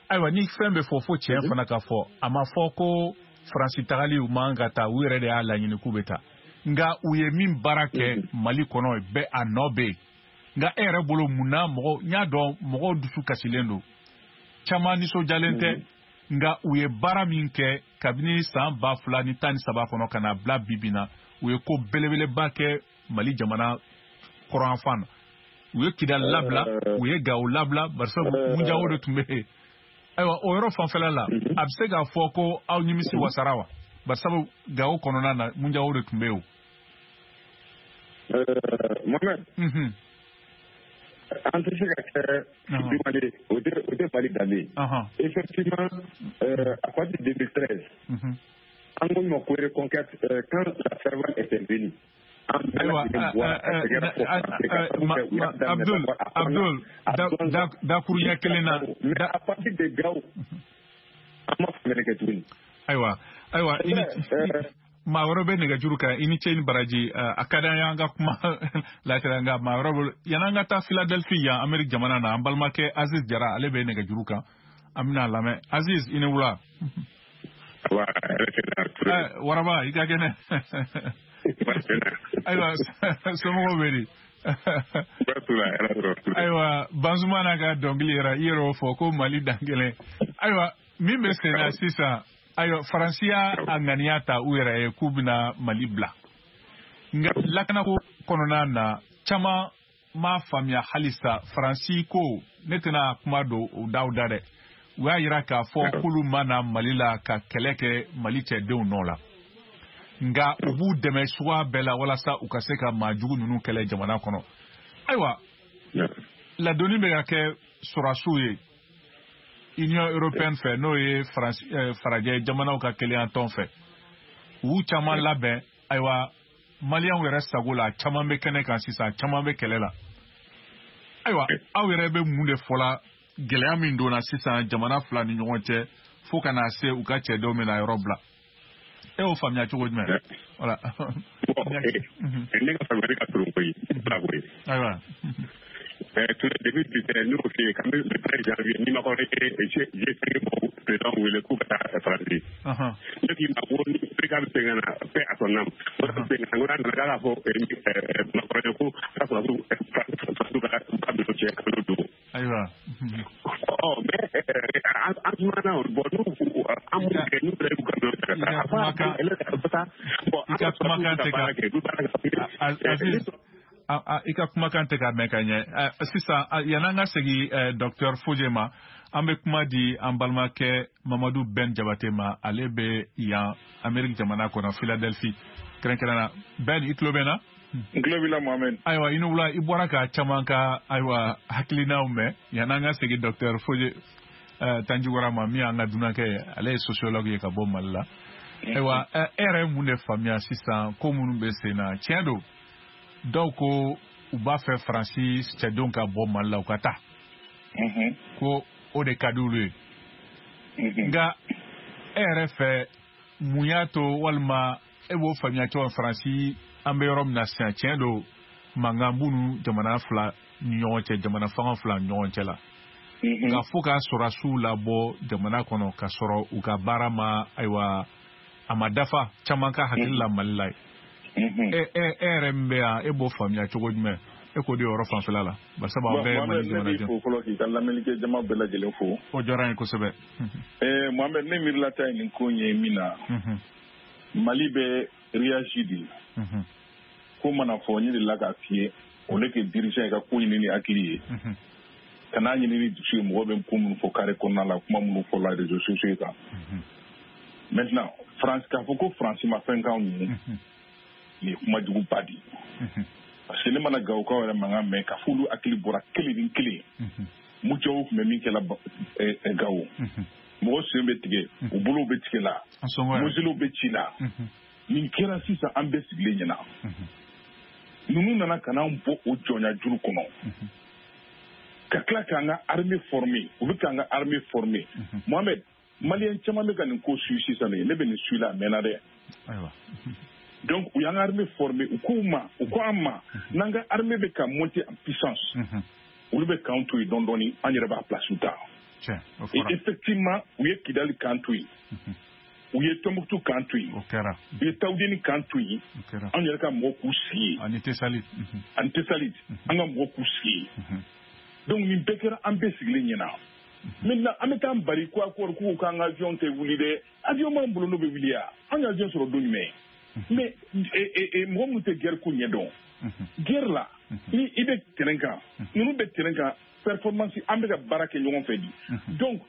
Ayiwa, ni fɛn bɛ fɔ, fo tiɲɛ fana ka fɔ. A ma fɔ ko Faransi tagali u man ka taa, u yɛrɛ de y'a laɲini k'u bɛ taa. Nka u ye min baara kɛ Mali kɔnɔ, bɛɛ a nɔ bɛ yen. Nka e yɛrɛ bolo mun na mɔgɔ, n y'a dɔn mɔgɔw dusu kasilen don, caman nisɔndiyalen tɛ. Nka u ye baara min kɛ kabini san 2013 kɔnɔ ka na bila bi bi na, u ye ko belebeleba kɛ Mali jamana kɔrɔnfan na. U ye Kidali labila, u ye Gawo labila, barisa Munjawo de tun bɛ yen. Ayiwa, o yɔrɔ fanfɛla la, a bɛ se k'a fɔ ko aw nimisi wasara wa? Barisa Gawo kɔnɔna na, Munjawo de tun bɛ yen o. Mohamed. An tɛ se ka kɛ demandé, o tɛ Mali danbe ye. Effectivement, à partir de 2013, an ko ma ko reconquête, quand la Serval était venue. Ayiwa, Abdul, dakuruɲɛ kelen na. Mais à partir de Gao, an ma faamuyali kɛ tuguni. Ayiwa, i ni maa wɛrɛ bɛ nɛgɛjuru kan, i ni ce ni baraji. A ka d'an ye an ka kuma latɛrɛ, nka maa wɛrɛ bolo. Yan'an ka taa Philadelphie yan Amérique jamana na, an balimakɛ Aziz Jara, ale bɛ nɛgɛjuru kan, an bɛna lamɛn. Aziz, i ni wula. Waraba, i ka kɛnɛ. Ayiwa, somɔgɔw bɛ di? Ayiwa, Banzumana ka dɔnkili yɛrɛ, i yɛrɛ y'o fɔ ko Mali dan kelen. Ayiwa, min bɛ sen na sisan, ayiwa, Faransi y'a ŋaniya ta u yɛrɛ ye k'u bɛna Mali bila. Nka lakanako kɔnɔna na, caman m'a faamuya halisa. Faransi ko ne tɛna kuma don u daw da dɛ. U y'a yira k'a fɔ k'olu ma na Mali la ka kɛlɛ kɛ Mali cɛdenw nɔ la. Nka u b'u dɛmɛ suguya bɛɛ la walasa u ka se ka maajugu ninnu kɛlɛ jamana kɔnɔ. Ayiwa, ladonni bɛ ka kɛ sɔrɔdasiw ye Union européenne fɛ, n'o ye farajɛ jamanaw ka kelenya tɔn fɛ. U y'u caman labɛn. Ayiwa, maliyɛnw yɛrɛ sago la, caman bɛ kɛnɛ kan sisan, caman bɛ kɛlɛ la. Ayiwa, aw yɛrɛ bɛ mun de fɔ la gɛlɛya min donna sisan jamana fila ni ɲɔgɔn cɛ fo ka na se u ka cɛdenw bɛna yɔrɔ bila? E y'o faamuya cogo jumɛn? Voilà. Ne ka faamuyali ka surun koyi, koyi. Ayiwa. Tout le début du nous aussi, quand le 13 janvier, ni ma ko G5 mɔgɔw président wele k'u ka taa Faransi. Ne k'i ma ko ni PK bɛ segin ka na, paix à son âme. O bɛ segin ka na, n ko n'a nana k'a fɔ Macron ye ko a ka sɔrɔdasiw Faransiw ka minɛnw cɛ ka n'o don. Ayiwa. Ɔ mais an sumana o bon n'u an m'u kɛ n'u yɛrɛ y'u ka minɛnw ta ka taa. Bon, i ka kumakan tɛ ka Aziz, i ka kumakan tɛ ka mɛn ka ɲɛ sisan. Yan'an ka segin docteur Foje ma, an bɛ kuma di an balimakɛ Mamadu Ben Jabate ma. Ale bɛ yan Amérique jamana kɔnɔ, Philadelphie kɛrɛnkɛrɛn na. Ben, i tulo bɛ n na? N tulo b'i la, Mohamed. Ayiwa, i ni wula. I bɔra ka caman ka ayiwa hakilinaw mɛn. Yan'an ka segin docteur Foje Tanjigora ma, min y'an ka dunankɛ ye, ale ye sociologue ye ka bɔ Mali la. Ayiwa, e yɛrɛ ye mun de faamuya sisan ko minnu bɛ sen na? Tiɲɛ don, dɔw ko u b'a fɛ Faransi cɛdenw ka bɔ Mali la, u ka taa, ko o de ka di olu ye. Nka e yɛrɛ fɛ, mun y'a to, walima e b'o faamuya cogo Faransi an bɛ yɔrɔ min na sisan? Tiɲɛ don, mankan b'u ni jamana fila ni ɲɔgɔn cɛ, jamana fanga fila ni ɲɔgɔn cɛ la. Nka fo ka sɔrɔdasiw labɔ jamana kɔnɔ ka sɔrɔ u ka baara ma, ayiwa, a ma dafa caman ka hakili la Mali la ye. E yɛrɛ min bɛ yan, e b'o faamuya cogo jumɛn? E k'o di yɔrɔ fanfɛla la, barisabu an bɛɛ ye Mali jamanaden. Ne b'i fo fɔlɔ k'i ka lamɛnnikɛ jama bɛɛ lajɛlen fo. O diyara n ye kosɛbɛ. Mohamed, ne miirilata ye nin ko in ye min na, Mali bɛ réagi de. Ko mana fɔ, n delila k'a f'i ye, o le kɛ dirigeant ye ka ko ɲini ni hakili ye, ka n'a ɲini ni dusu ye. Mɔgɔ bɛ ko minnu fɔ carré kɔnɔna la, kuma minnu fɔ la réseaux sociaux kan. Maintenant, France, k'a fɔ ko Faransi ma fɛn k'anw ye, nin ye kuma juguba de ye. Parce que ne mana Gawokaw yɛrɛ mankan mɛn k'a fɔ olu hakili bɔra kelen ni kelen. Mujaw tun bɛ min kɛla Gawo, mɔgɔ sen bɛ tigɛ, u bolow bɛ tigɛ la, moseliw bɛ ci la. Nin kɛra sisan, an bɛɛ sigilen ɲɛna. Ninnu nana ka n'an bɔ o jɔnya juru kɔnɔ, ka tila k'an ka armée former. U bɛ k'an ka armée former. Mohamed, maliyɛn caman bɛ ka nin ko suit sisan de, ne bɛ nin suit la a mɛnna dɛ. Donc u y'an ka armée former, u k'u ma, u ko an ma, n'an ka armée bɛ ka monter en puissance, olu bɛ k'an to yen dɔɔni dɔɔni, an yɛrɛ b'a place ta. Et effectivement, u ye Kidali k'an to yen, u ye Tombouctou k'an to yen, u ye Tawudeni k'an to yen, an yɛrɛ ka mɔgɔw k'u sigi yen. Ani Tesalit. Ani Tesalit, an ka mɔgɔw k'u sigi yen. Donc nin bɛɛ kɛra an bɛɛ sigilen ɲɛna. Maintenant an bɛ taa bari ko accord k'u k'an ka avion tɛ wuli dɛ, avion b'an bolo n'o bɛ wuli ya, an ka avion sɔrɔ don jumɛn? Mais mɔgɔ minnu tɛ guerre ko ɲɛdɔn, guerre la ni i bɛ terrain kan, ninnu bɛ terrain kan, performance an bɛ ka baara kɛ ɲɔgɔn fɛ di. Donc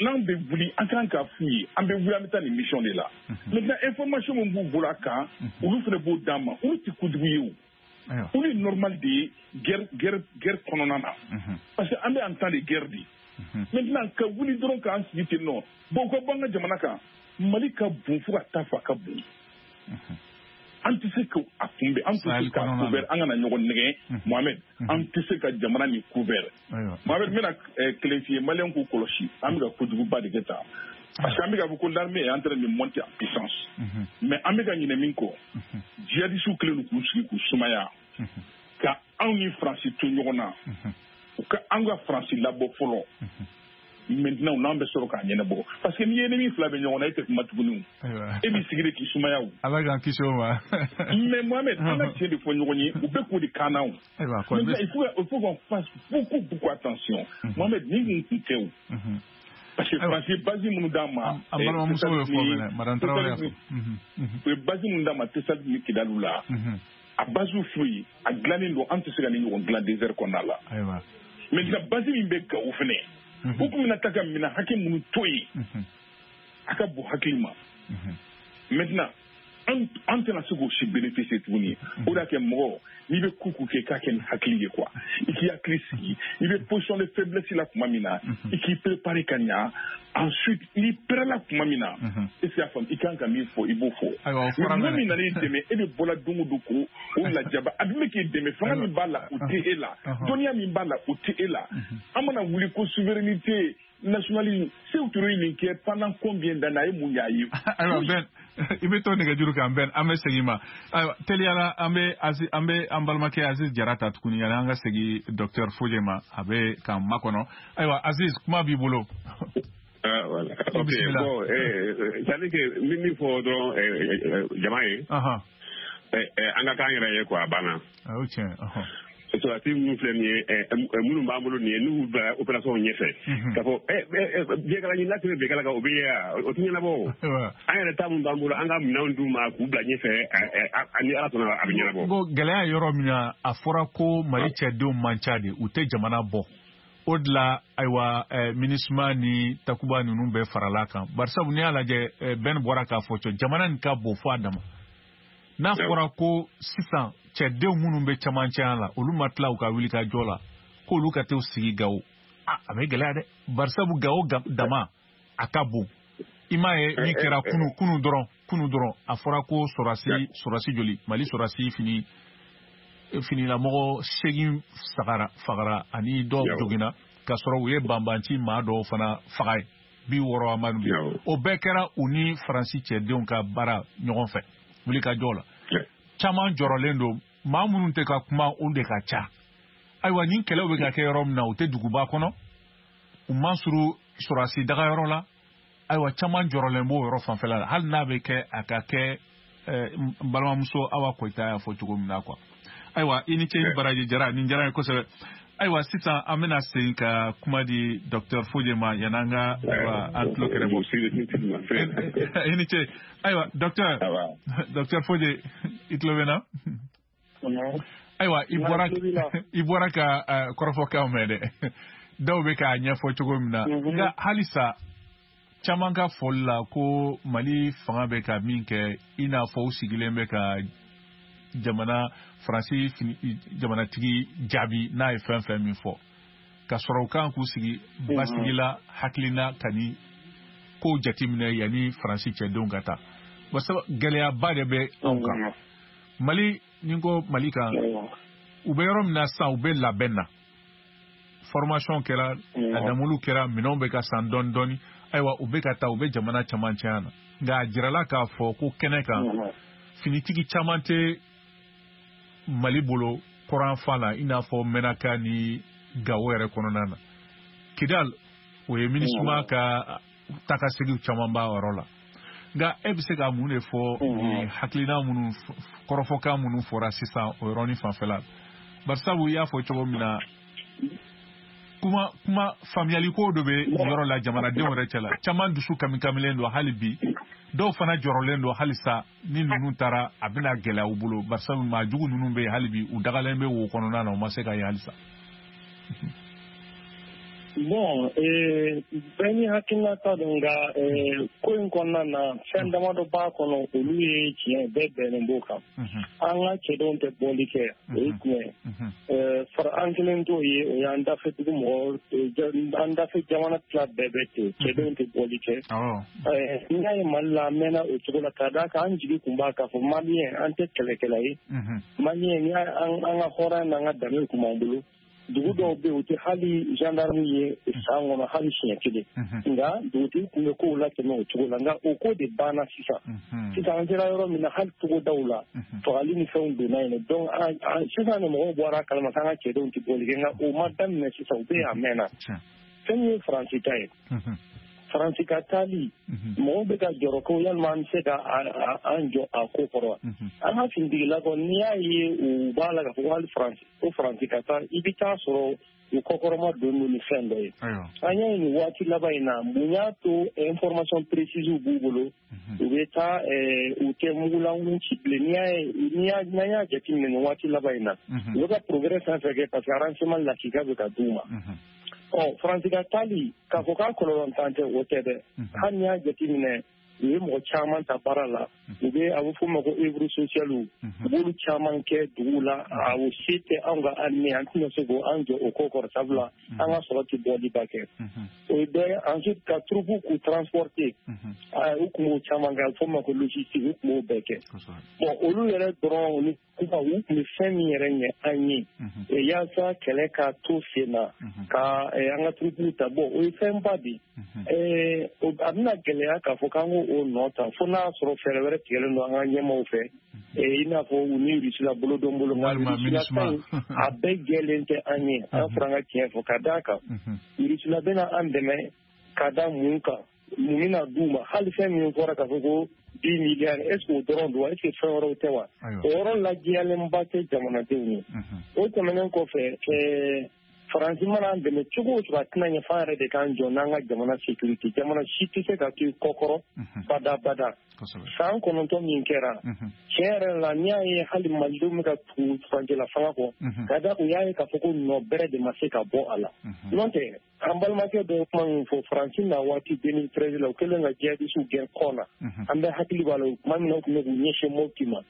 n'an bɛ wuli an kan k'a f'u ye an bɛ wuli an bɛ taa nin mission de la. Maintenant information min b'u bolo a kan, olu fana b'o d'an ma, olu tɛ kojugu ye o. Olu ye normal de ye guerre kɔnɔna na. Parce que an bɛ en temps de guerre de. Maintenant ka wuli dɔrɔn k'an sigi ten nɔ, bon u ka bɔ an ka jamana kan, Mali ka bon fo ka taa fɔ a ka bon. An tɛ se k'a kunbɛn, an tɛ se k'a couvert, an kana ɲɔgɔn nɛgɛn Mohamed, an tɛ se ka jamana nin couvert. Mohamed, n bɛna kelen f'i ye, Maliyɛnw k'u kɔlɔsi, an bɛ ka kojuguba de kɛ tan. Parce que an bɛ k'a fɔ ko l'armée est en train de monter en puissance. Mais an bɛ ka ɲinɛ min kɔ, djihadistes kɛlen don k'u sigi k'u sumaya, ka anw ni Faransi to ɲɔgɔn na, u ka an ka Faransi labɔ fɔlɔ. Maintenant n'an bɛ sɔrɔ k'a ɲɛnabɔ, parce que n'i ye ennemi fila bɛ ɲɔgɔn na, e tɛ kuma tuguni, e b'i sigi de k'i sumaya o. Ala k'an kisi o ma. Mais Mohamed, an ka tiɲɛ de fɔ ɲɔgɔn ye, u bɛ k'o de kan na o. Maintenant il faut qu'on fasse beaucoup beaucoup attention. Mohamed, nin kun tɛ o. Parce que Faransi ye base minnu d'an ma. An balimamuso y'o fɔ mɛnɛ, Madame Traoré y'a fɔ. U ye base minnu d'an ma Tessali ni Kidali la. A base foyi, a dilannen don, an tɛ se ka nin ɲɔgɔn dilan désert kɔnɔna la. Maintenant base min bɛ Gawo fɛnɛ, u tun bɛna taa ka minɛn hakɛ minnu to yen, a ka bon hakili ma. Maintenant an tɛna se k'o si bénéficier tuguni. O de y'a kɛ mɔgɔ n'i bɛ ko kɛ i k'a kɛ ni hakili ye quoi, i k'i hakili sigi, i bɛ position de faiblesse la tuma min na, i k'i préparer ka ɲa. Ensuite n'i pɛrɛla tuma min na, est ce que y'a faamu, i kan ka min fɔ i b'o fɔ. Mais mɔgɔ min nana i dɛmɛ, e bɛ bɔla don o don k'o lajaba, a dun bɛ k'i dɛmɛ, fanga min b'a la o tɛ e la, dɔnniya min b'a la o tɛ e la. An mana wuli ko souveraineté nationalisme, Sékou Touré ye nin kɛ pendant combien d'années, a ye mun y'a ye? Ayiwa Ben, i bɛ to nɛgɛjuru kan Ben, an bɛ segin ma. Ayiwa teliyala an bɛ an balimakɛ Aziz Jara ta tuguni yanni an ka segin docteur Foje ma, a bɛ k'an makɔnɔ. Ayiwa Aziz, kuma b'i bolo. Ah, voilà. Ok, bon, c'est-à-dire que min fɔ dɔrɔn jama ye, an ka k'an yɛrɛ ye quoi, a banna. O tiɲɛ. Sɔrɔdasi minnu filɛ nin ye, minnu b'an bolo nin ye, n'u bila opération ɲɛfɛ, k'a fɔ biyɛnkala ɲini n'a tɛmɛ biyɛnkala kan, o bɛ ye wa, o tɛ ɲɛnabɔ o. An yɛrɛ ta min b'an bolo, an ka minɛnw d'u ma k'u bila ɲɛfɛ, ni Ala sɔnna a bɛ ɲɛnabɔ. Bon, gɛlɛya yɔrɔ min na, a fɔra ko Mali cɛdenw man ca de, u tɛ jamana bɔ. O de la ayiwa MINUSMA ni Takuba ninnu bɛɛ farala kan. Barisabu n'i y'a lajɛ, Ben bɔra k'a fɔ cɔ, jamana nin ka bon fo a dama. N'a fɔra ko sisan cɛdenw minnu bɛ cɛmancɛya la, olu ma tila u ka wuli ka jɔ la, k'olu ka t'u sigi Gawo, a bɛ gɛlɛya dɛ. Barisabu Gawo dama a ka bon. I m'a ye min kɛra kunu dɔrɔn, a fɔra ko sɔrɔsi joli, Mali sɔrɔsi finilamɔgɔ 8 fagara ani dɔw joginna, k'a sɔrɔ u ye banbanci maa dɔw fana faga ye 60 amadu. O bɛɛ kɛra u ni Faransi cɛdenw ka baara ɲɔgɔn fɛ wuli ka jɔ la. Caman jɔrɔlen don, maa minnu tɛ ka kuma olu de ka ca. Ayiwa nin kɛlɛw bɛ ka kɛ yɔrɔ min na, u tɛ duguba kɔnɔ, u man surun sɔrɔsi dagayɔrɔ la. Ayiwa caman jɔrɔlen b'o yɔrɔ fanfɛla la, hali n'a bɛ kɛ a ka kɛ n balimamuso Awa Koyita y'a fɔ cogo min na quoi. Ayiwa i ni ce, i baraji Jara, nin diyara n ye kosɛbɛ. Ayiwa sisan an bɛna segin ka kuma di docteur Foje ma yanni an ka an tulo kɛrɛ bɔ. I ni ce. Ayiwa docteur Foje, i tulo bɛ na? Ayiwa i bɔra ka kɔrɔfɔkanw mɛn dɛ, dɔw bɛ k'a ɲɛfɔ cogo min na, nka halisa caman ka fɔli la ko Mali fanga bɛ ka min kɛ, i n'a fɔ u sigilen bɛ ka jamana Faransi jamanatigi jaabi n'a ye fɛn fɛn min fɔ, ka sɔrɔ u kan k'u sigi basigi la, hakilina ka ni kow jateminɛ yanni Faransi cɛdenw ka taa. Barisa gɛlɛyaba de bɛ anw kan Mali, ni ko Mali kan, u bɛ yɔrɔ min na sisan, u bɛ labɛn na, formation kɛra, a damulu kɛra, minɛnw bɛ ka san dɔɔni dɔɔni. Ayiwa u bɛ ka taa, u bɛ jamana camancɛya na, nka a jirala k'a fɔ ko kɛnɛ kan finitigi caman tɛ Mali bolo kɔrɔnfan la, i n'a fɔ Menaka ni Gawo yɛrɛ kɔnɔna na. Kidal, o ye MINUSMA ka taakaseginw caman b'a yɔrɔ la. Nka e bɛ se ka mun de fɔ nin hakilina minnu, kɔrɔfɔkan minnu fɔra sisan o yɔrɔnin fanfɛla la? Barisabu i y'a fɔ cogo min na, Kuma faamuyaliko dɔ bɛ yɔrɔ la jamanadenw yɛrɛ cɛ la, caman dusu kamikamilen don hali bi, dɔw fana jɔrɔlen don halisa ni ninnu taara a bɛna gɛlɛya u bolo, barisa maa jugu ninnu bɛ yen hali bi, u dagalen bɛ wo kɔnɔna na, u ma se ka ye halisa. Bon, bɛɛ ni hakilinata don, nka ko in kɔnɔna na fɛn damadɔ b'a kɔnɔ, olu ye tiɲɛ, bɛɛ bɛnnen b'o kan. An ka cɛdenw tɛ bɔli kɛ, o ye tiɲɛ ye. An kelen t'o ye, o y'an dafɛ dugu mɔgɔ, an dafɛ jamana tila bɛɛ bɛ ten, cɛdenw tɛ bɔli kɛ. N'i y'a ye Mali la, an mɛnna o cogo la, ka d'a kan an jigi tun b'a k'a fɔ Maliyɛn an tɛ kɛlɛkɛla ye. Maliyɛn, n'i y'a an ka hɔrɔnya n'an ka danbe tun b'an bolo. Dugu dɔw bɛ yen, u tɛ hali gendarme ye san kɔnɔ hali siɲɛ kelen, nka dugutigi tun bɛ kow latɛmɛ o cogo la, nka o ko de banna sisan. Sisan an sera yɔrɔ min na, hali togodaw la fagali ni fɛnw donna yen, donc sisan de mɔgɔw bɔra a kalama k'an ka cɛdenw tɛ bɔli kɛ, nka o ma daminɛ sisan, u bɛ yen a mɛnna. Fɛn min ye Faransi ta ye, Faransi ka taali, mɔgɔw bɛ ka jɔrɔ ko yalima an bɛ se ka an jɔ a ko kɔrɔ wa? An ka finitigilakaw, n'i y'a ye u b'a la k'a fɔ ko hali Faransi, ko Faransi ka taa, i bɛ taa sɔrɔ u kɔkɔrɔma don ni fɛn dɔ ye. An y'a ye nin waati laban in na, mun y'a to information précise b'u bolo, u bɛ taa, u tɛ mugulankolon ci bilen. N'i y'a ye, n'an y'a jateminɛ nin waati laban in na, u bɛ ka progrès fɛn fɛn kɛ, parce que renseignement lakika bɛ ka d'u ma. Ɔ, Faransi ka taali, k'a fɔ k'a kɔlɔlɔntan tɛ, o tɛ dɛ. Hali n'i y'a jateminɛ, u ye mɔgɔ caman ta baara la, u bɛ a bɛ f'o ma ko œuvre sociale, u b'olu caman kɛ dugu la. A o se tɛ anw ka armée, an tɛna se k'an jɔ o ko kɔrɔ, sabula an ka sɔrɔ tɛ bɔliba kɛ. O ye dɔ ye. Ensuite, ka troupe k'u transporter, u tun b'o caman kɛ, a bɛ f'o ma ko logistique, u tun b'o bɛɛ kɛ. Bon, olu yɛrɛ dɔrɔn ni kuma, u tun bɛ fɛn min yɛrɛ ɲɛ an ye yaasa kɛlɛ ka to sen na, ka an ka troupe ta, bon, o ye fɛnba de ye. A bɛna gɛlɛya k'a fɔ k'an k'o nɔ ta, fo n'a sɔrɔ fɛɛrɛ wɛrɛ tigɛlen don an ka ɲɛmaaw fɛ, i n'a fɔ u ni Rusila bolo don bolo, nka Rusila ta in a bɛɛ jɛlen tɛ an ye. An fɔra an ka tiɲɛ fɔ, ka d'a kan Rusila bɛna an dɛmɛ ka da mun kan, mun bɛna d'u ma? Hali fɛn min fɔra k'a fɔ ko 10 milliards, est ce que o dɔrɔn don wa? Est ce que fɛn wɛrɛw tɛ wa? O yɔrɔ lajɛyalenba tɛ jamanadenw ye. O tɛmɛnen kɔfɛ, Faransi mana an dɛmɛ cogo o cogo, a tɛna ɲɛ f'an yɛrɛ de k'an jɔ n'an ka jamana sécurité. Jamana si tɛ se ka to i kɔkɔrɔ bada bada. San 9 min kɛra, tiɲɛ yɛrɛ la, n'i y'a ye hali Malidenw bɛ ka tugu furancɛla fanga kɔ, ka da u y'a ye k'a fɔ ko nɔ bɛrɛ de ma se ka bɔ a la. N'o tɛ, an balimakɛ dɔ ye kuma min fɔ, Faransi na waati 2013 la, u kɛlen ka jihadisiw gɛn kɔ na, an bɛɛ hakili b'a la, tuma min na u tun bɛ k'u ɲɛsin Mopti ma,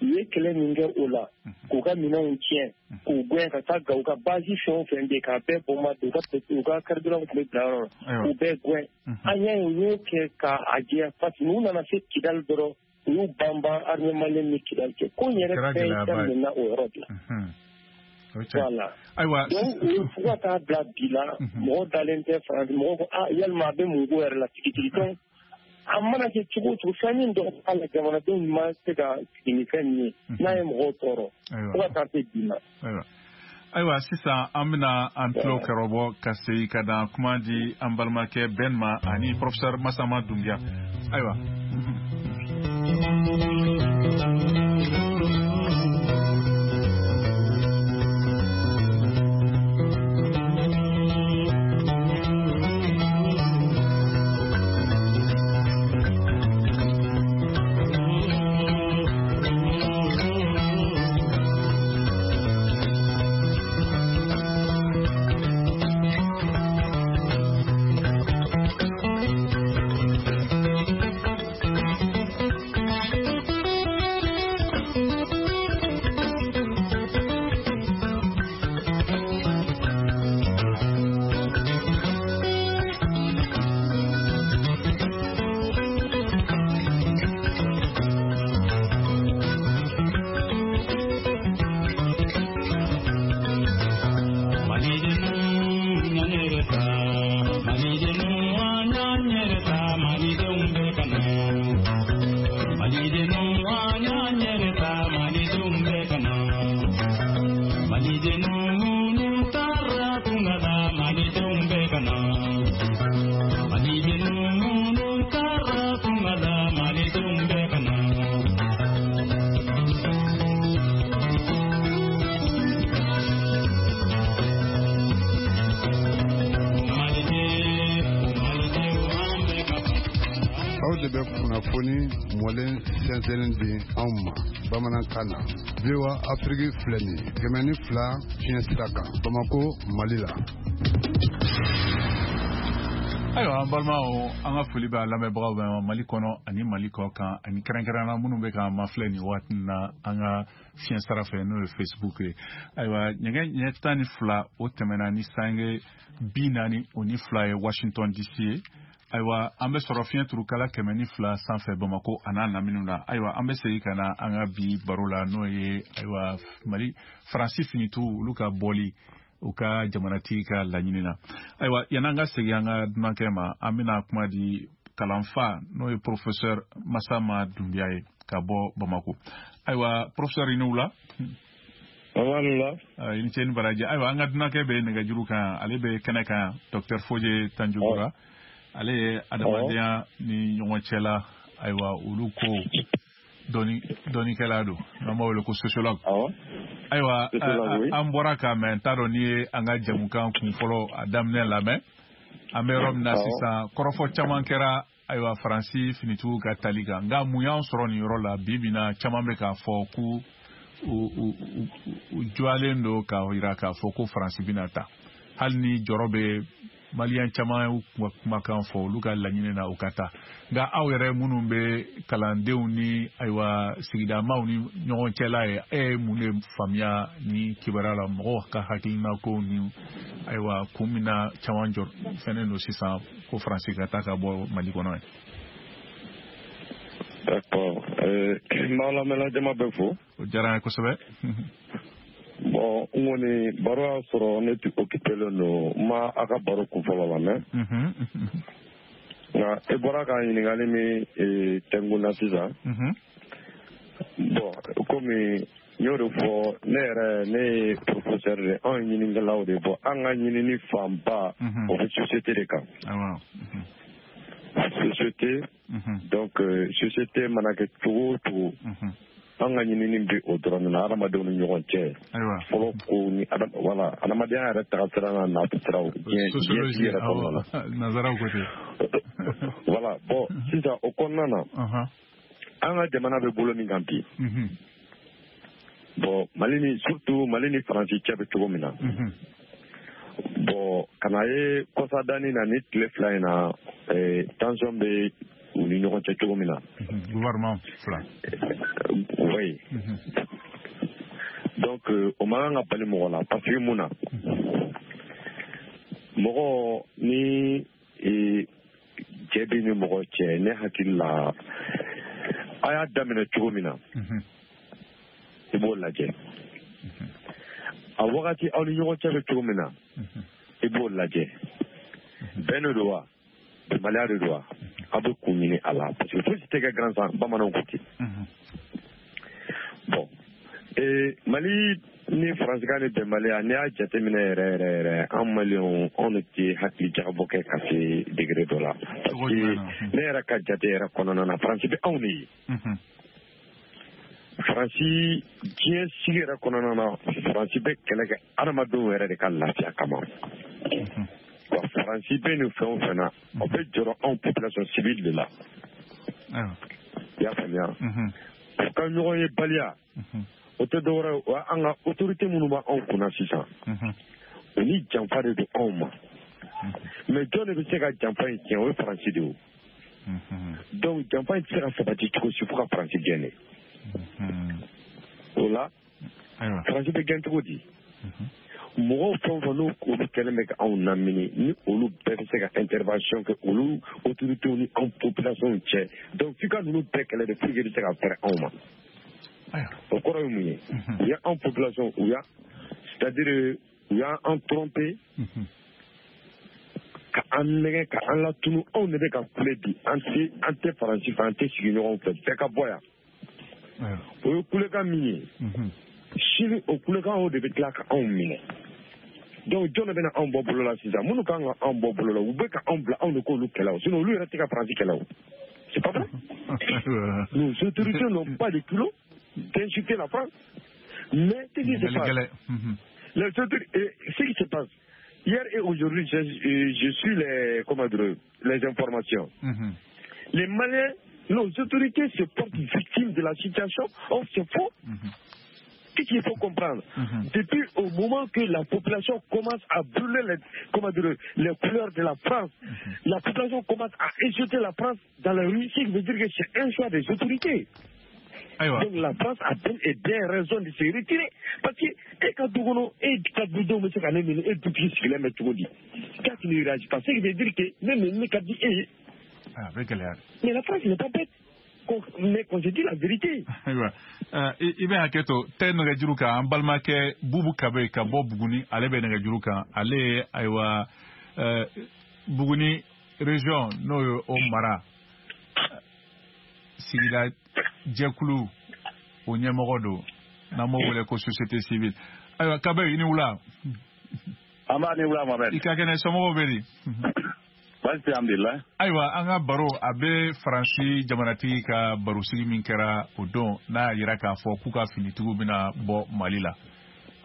u ye kɛlɛ min kɛ o la, k'u ka minɛnw tiɲɛ, k'u gɛn ka taa Gawo, ka base fɛn o fɛn bɛ yen k'a bɛɛ bombarder, u ka carburant tun bɛ bila yɔrɔ la, k'u bɛɛ gɛn. An y'a ye u y'o kɛ k'a jɛ, parce que n'u nana se Kidali dɔrɔn, u y'u banban armée malienne ni Kidali cɛ. Ko in yɛrɛ fɛn daminɛna o yɔrɔ de la. Voilà. Ayiwa. Donc fo ka taa bila bi la, mɔgɔ dalen tɛ Faransi, mɔgɔ ko ah, yalima a bɛ mun ko yɛrɛ la tigitigi. Donc a mana kɛ cogo o cogo, fɛn min dɔ b'a la, jamanadenw ma se ka sigi ni fɛn min ye, n'a ye mɔgɔw tɔɔrɔ fo ka taa se bi ma. Ayiwa, sisan an bɛna an tulo kɛrɔbɔ ka segin ka na kuma di an balimakɛ Ben ma ani professeur Masama Dunbiya. Ayiwa. Kunnafoni mɔlen sɛnsɛnnen di anw ma bamanankan na. VOA Afrique filɛ nin ye 102 fiɲɛ sira kan Bamako, Mali la. Ayiwa, an balimaw, an ka foli bɛ a lamɛnbagaw bɛɛ ma Mali kɔnɔ ani Mali kɔ kan, ani kɛrɛnkɛrɛnnenya minnu bɛ k'an mafilɛ nin waati na an ka fiɲɛ sira fɛ, n'o ye Facebook ye. Ayiwa, nɛgɛ ɲɛ 12 o tɛmɛna ni sange 42 ye Washington DC ye. Ayiwa, an bɛ sɔrɔ fiɲɛ turukala 102 sanfɛ Bamako a n'a laminiw na. Ayiwa, an bɛ segin ka na an ka bi baro la, n'o ye ayiwa Mali Faransi finitigiw olu ka bɔli u ka jamanatigi ka laɲini na. Ayiwa, yan'an ka segin an ka dunankɛ ma, an bɛna kuma di kalanfa, n'o ye professeur Masama Dunbiya ye ka bɔ Bamako. Ayiwa, professeur, i ni wula. Wula. I ni ce ni baraji. Ayiwa, an ka dunankɛ bɛ nɛgɛjuru kan, ale bɛ kɛnɛ kan, docteur Foje Tanjugura. Ale ye adamadenya ni ɲɔgɔn cɛla, ayiwa, olu ko dɔnnikɛla don, n'an b'a wele ko sociologue. Ayiwa, an bɔra k'a mɛn, n t'a dɔn n'i ye an ka jamukan kun fɔlɔ a daminɛ lamɛn. An bɛ yɔrɔ min na sisan, kɔrɔfɔ caman kɛra ayiwa Faransi finitigiw ka tali kan, nka mun y'an sɔrɔ nin yɔrɔ la bi bi in na? Caman bɛ k'a fɔ k'u u jɔlen don k'a jira k'a fɔ ko Faransi bɛna ta, hali ni jɔrɔ bɛ Maliyɛn caman y'u kumakan fɔ olu ka laɲini na u ka taa. Nka aw yɛrɛ minnu bɛ kalandenw ni ayiwa sigidamaw ni ɲɔgɔn cɛla ye, e ye mun de faamuya ni kibaruya la, mɔgɔw ka hakilina ko ni ayiwa kun min na caman jɔ fɛnnen don sisan ko Faransi ka taa ka bɔ Mali kɔnɔ ye? D'accord. N b'aw lamɛnna jama bɛɛ fo. O diyara n ye kosɛbɛ. Bon, n kɔni baro y'a sɔrɔ ne tun occupé len don, n ma a ka baro kun fɔlɔ lamɛn. Nka e bɔra ka ɲininkali min tɛnku na sisan. Bon, komi n y'o de fɔ, ne yɛrɛ ne ye professeur de, anw ye ɲininikɛlaw de. Bɔ an ka ɲinini fanba, o bɛ société de kan. Société, donc société mana kɛ cogo o cogo, an ka ɲinini bɛ o dɔrɔn de la, hadamadenw ni ɲɔgɔn cɛ. Fɔlɔ ko ni wala adamadenya yɛrɛ tagasira n'a nasiraw diɲɛ sigi yɛrɛ kɔnɔna na. Nanzaraw ko ten. Voilà, bon, sisan o kɔnɔna na, an ka jamana bɛ bolo min kan bi. Bon, Mali ni surtout Mali ni Faransi cɛ bɛ cogo min na. Bon, ka na ye kɔsadani na ni tile 2 in na, tension bɛ u ni ɲɔgɔn cɛ cogo min na. Gouvernement fila. Oui. Donc o man kan ka bali mɔgɔ la, parce que mun na, mɔgɔ ni cɛ bɛ ni mɔgɔ cɛ, ne hakili la a y'a daminɛ cogo min na, i b'o lajɛ. A wagati aw ni ɲɔgɔn cɛ bɛ cogo min na, i b'o lajɛ. Bɛn de don wa, bɛnbaliya de don wa, aw bɛ kun ɲini a la, parce que fosi tɛ kɛ gansan, bamananw ko ten. Bon, Mali ni Faransikan ni bɛnbaliya, n'i y'a jateminɛ yɛrɛ yɛrɛ yɛrɛ, an Maliyɛnw, anw de tɛ hakili jagabɔ kɛ ka se degré dɔ la, parce que ne yɛrɛ ka jate yɛrɛ kɔnɔna na, Faransi bɛ anw de ye. Faransi diɲɛ sigi yɛrɛ kɔnɔna na, Faransi bɛ kɛlɛ kɛ adamadenw yɛrɛ de ka lafiya kama. Wa Faransi bɛ nin fɛn o fɛn na, o bɛ jɔrɔ anw population civile de la. I y'a faamuya? U ka ɲɔgɔn ye baliya, o tɛ dɔwɛrɛ ye, o an ka autorité minnu b'anw kunna sisan, u ni janfa de don anw ma. Mais jɔn de bɛ se ka janfa in tiɲɛ? O ye Faransi de ye. Donc janfa in tɛ se ka sabati cogo si fo ka Faransi gɛn de. O la, Faransi bɛ gɛn cogo di? Mɔgɔw fɛn o fɛn n'o olu kɛlen bɛ ka anw lamini, ni olu bɛɛ bɛ se ka intervention kɛ olu autorités ni anw population cɛ, donc f'i ka ninnu bɛɛ kɛlɛ de pour que i bɛ se ka fɛrɛ anw ma. O kɔrɔ ye mun ye? U y'anw population, u y'a, c'est à dire u y'an tromper ka an nɛgɛ ka an latunu. Anw de bɛ ka kule bi, an tɛ Faransi fɛ, an tɛ sigi ɲɔgɔn fɛ, bɛɛ ka bɔ yan. O ye kulekan min ye, sini o kulekan o de bɛ tila ka anw minɛ. Donc jɔn de bɛna anw bɔ bolo la sisan? Minnu kan ka anw bɔ bolo la, u bɛ ka anw bila anw de k'olu kɛlɛ o, sinon olu yɛrɛ tɛ ka Faransi kɛlɛ o. C'est pas vrai. Nos autorités n'ont pas de culot d'insulter la France. Mais ce qui se passe, les autorités, ce qui se passe hier et aujourd'hui, je suis les, comment dire, les informations. Les Maliens Nos autorités se portent victimes de la situation. Or, c'est faux. Qu'est-ce qu'il faut comprendre? Depuis au moment que la population commence à brûler les couleurs de la France, la population commence à insulter la France dans la rue, ce qui veut dire que c'est un choix des autorités. Donc la France a bel et bien raison de se retirer. Parce que quand tu ne réagis pas, ce qui veut dire que même mais la France n'est pas bête. Mais qu'on se dit la vérité. Ayiwa, i bɛ hakɛ to tɛ nɛgɛjuru kan, an balimakɛ Bubu Kabe ka bɔ Buguni, ale bɛ nɛgɛjuru kan. Ale ye ayiwa Buguni région n'o ye o mara sigida jɛkulu o ɲɛmɔgɔ don, n'an b'o wele ko société civile. Ayiwa Kabe, i ni wula. An b'a ni wula Mohamed. I ka kɛnɛ, somɔgɔw bɛ di? Baasi alhamdulillah. Ayiwa, an ka baro a bɛ Faransi jamanatigi ka barosigi min kɛra o don, n'a y'a jira k'a fɔ k'u ka finitigiw bɛna bɔ Mali la.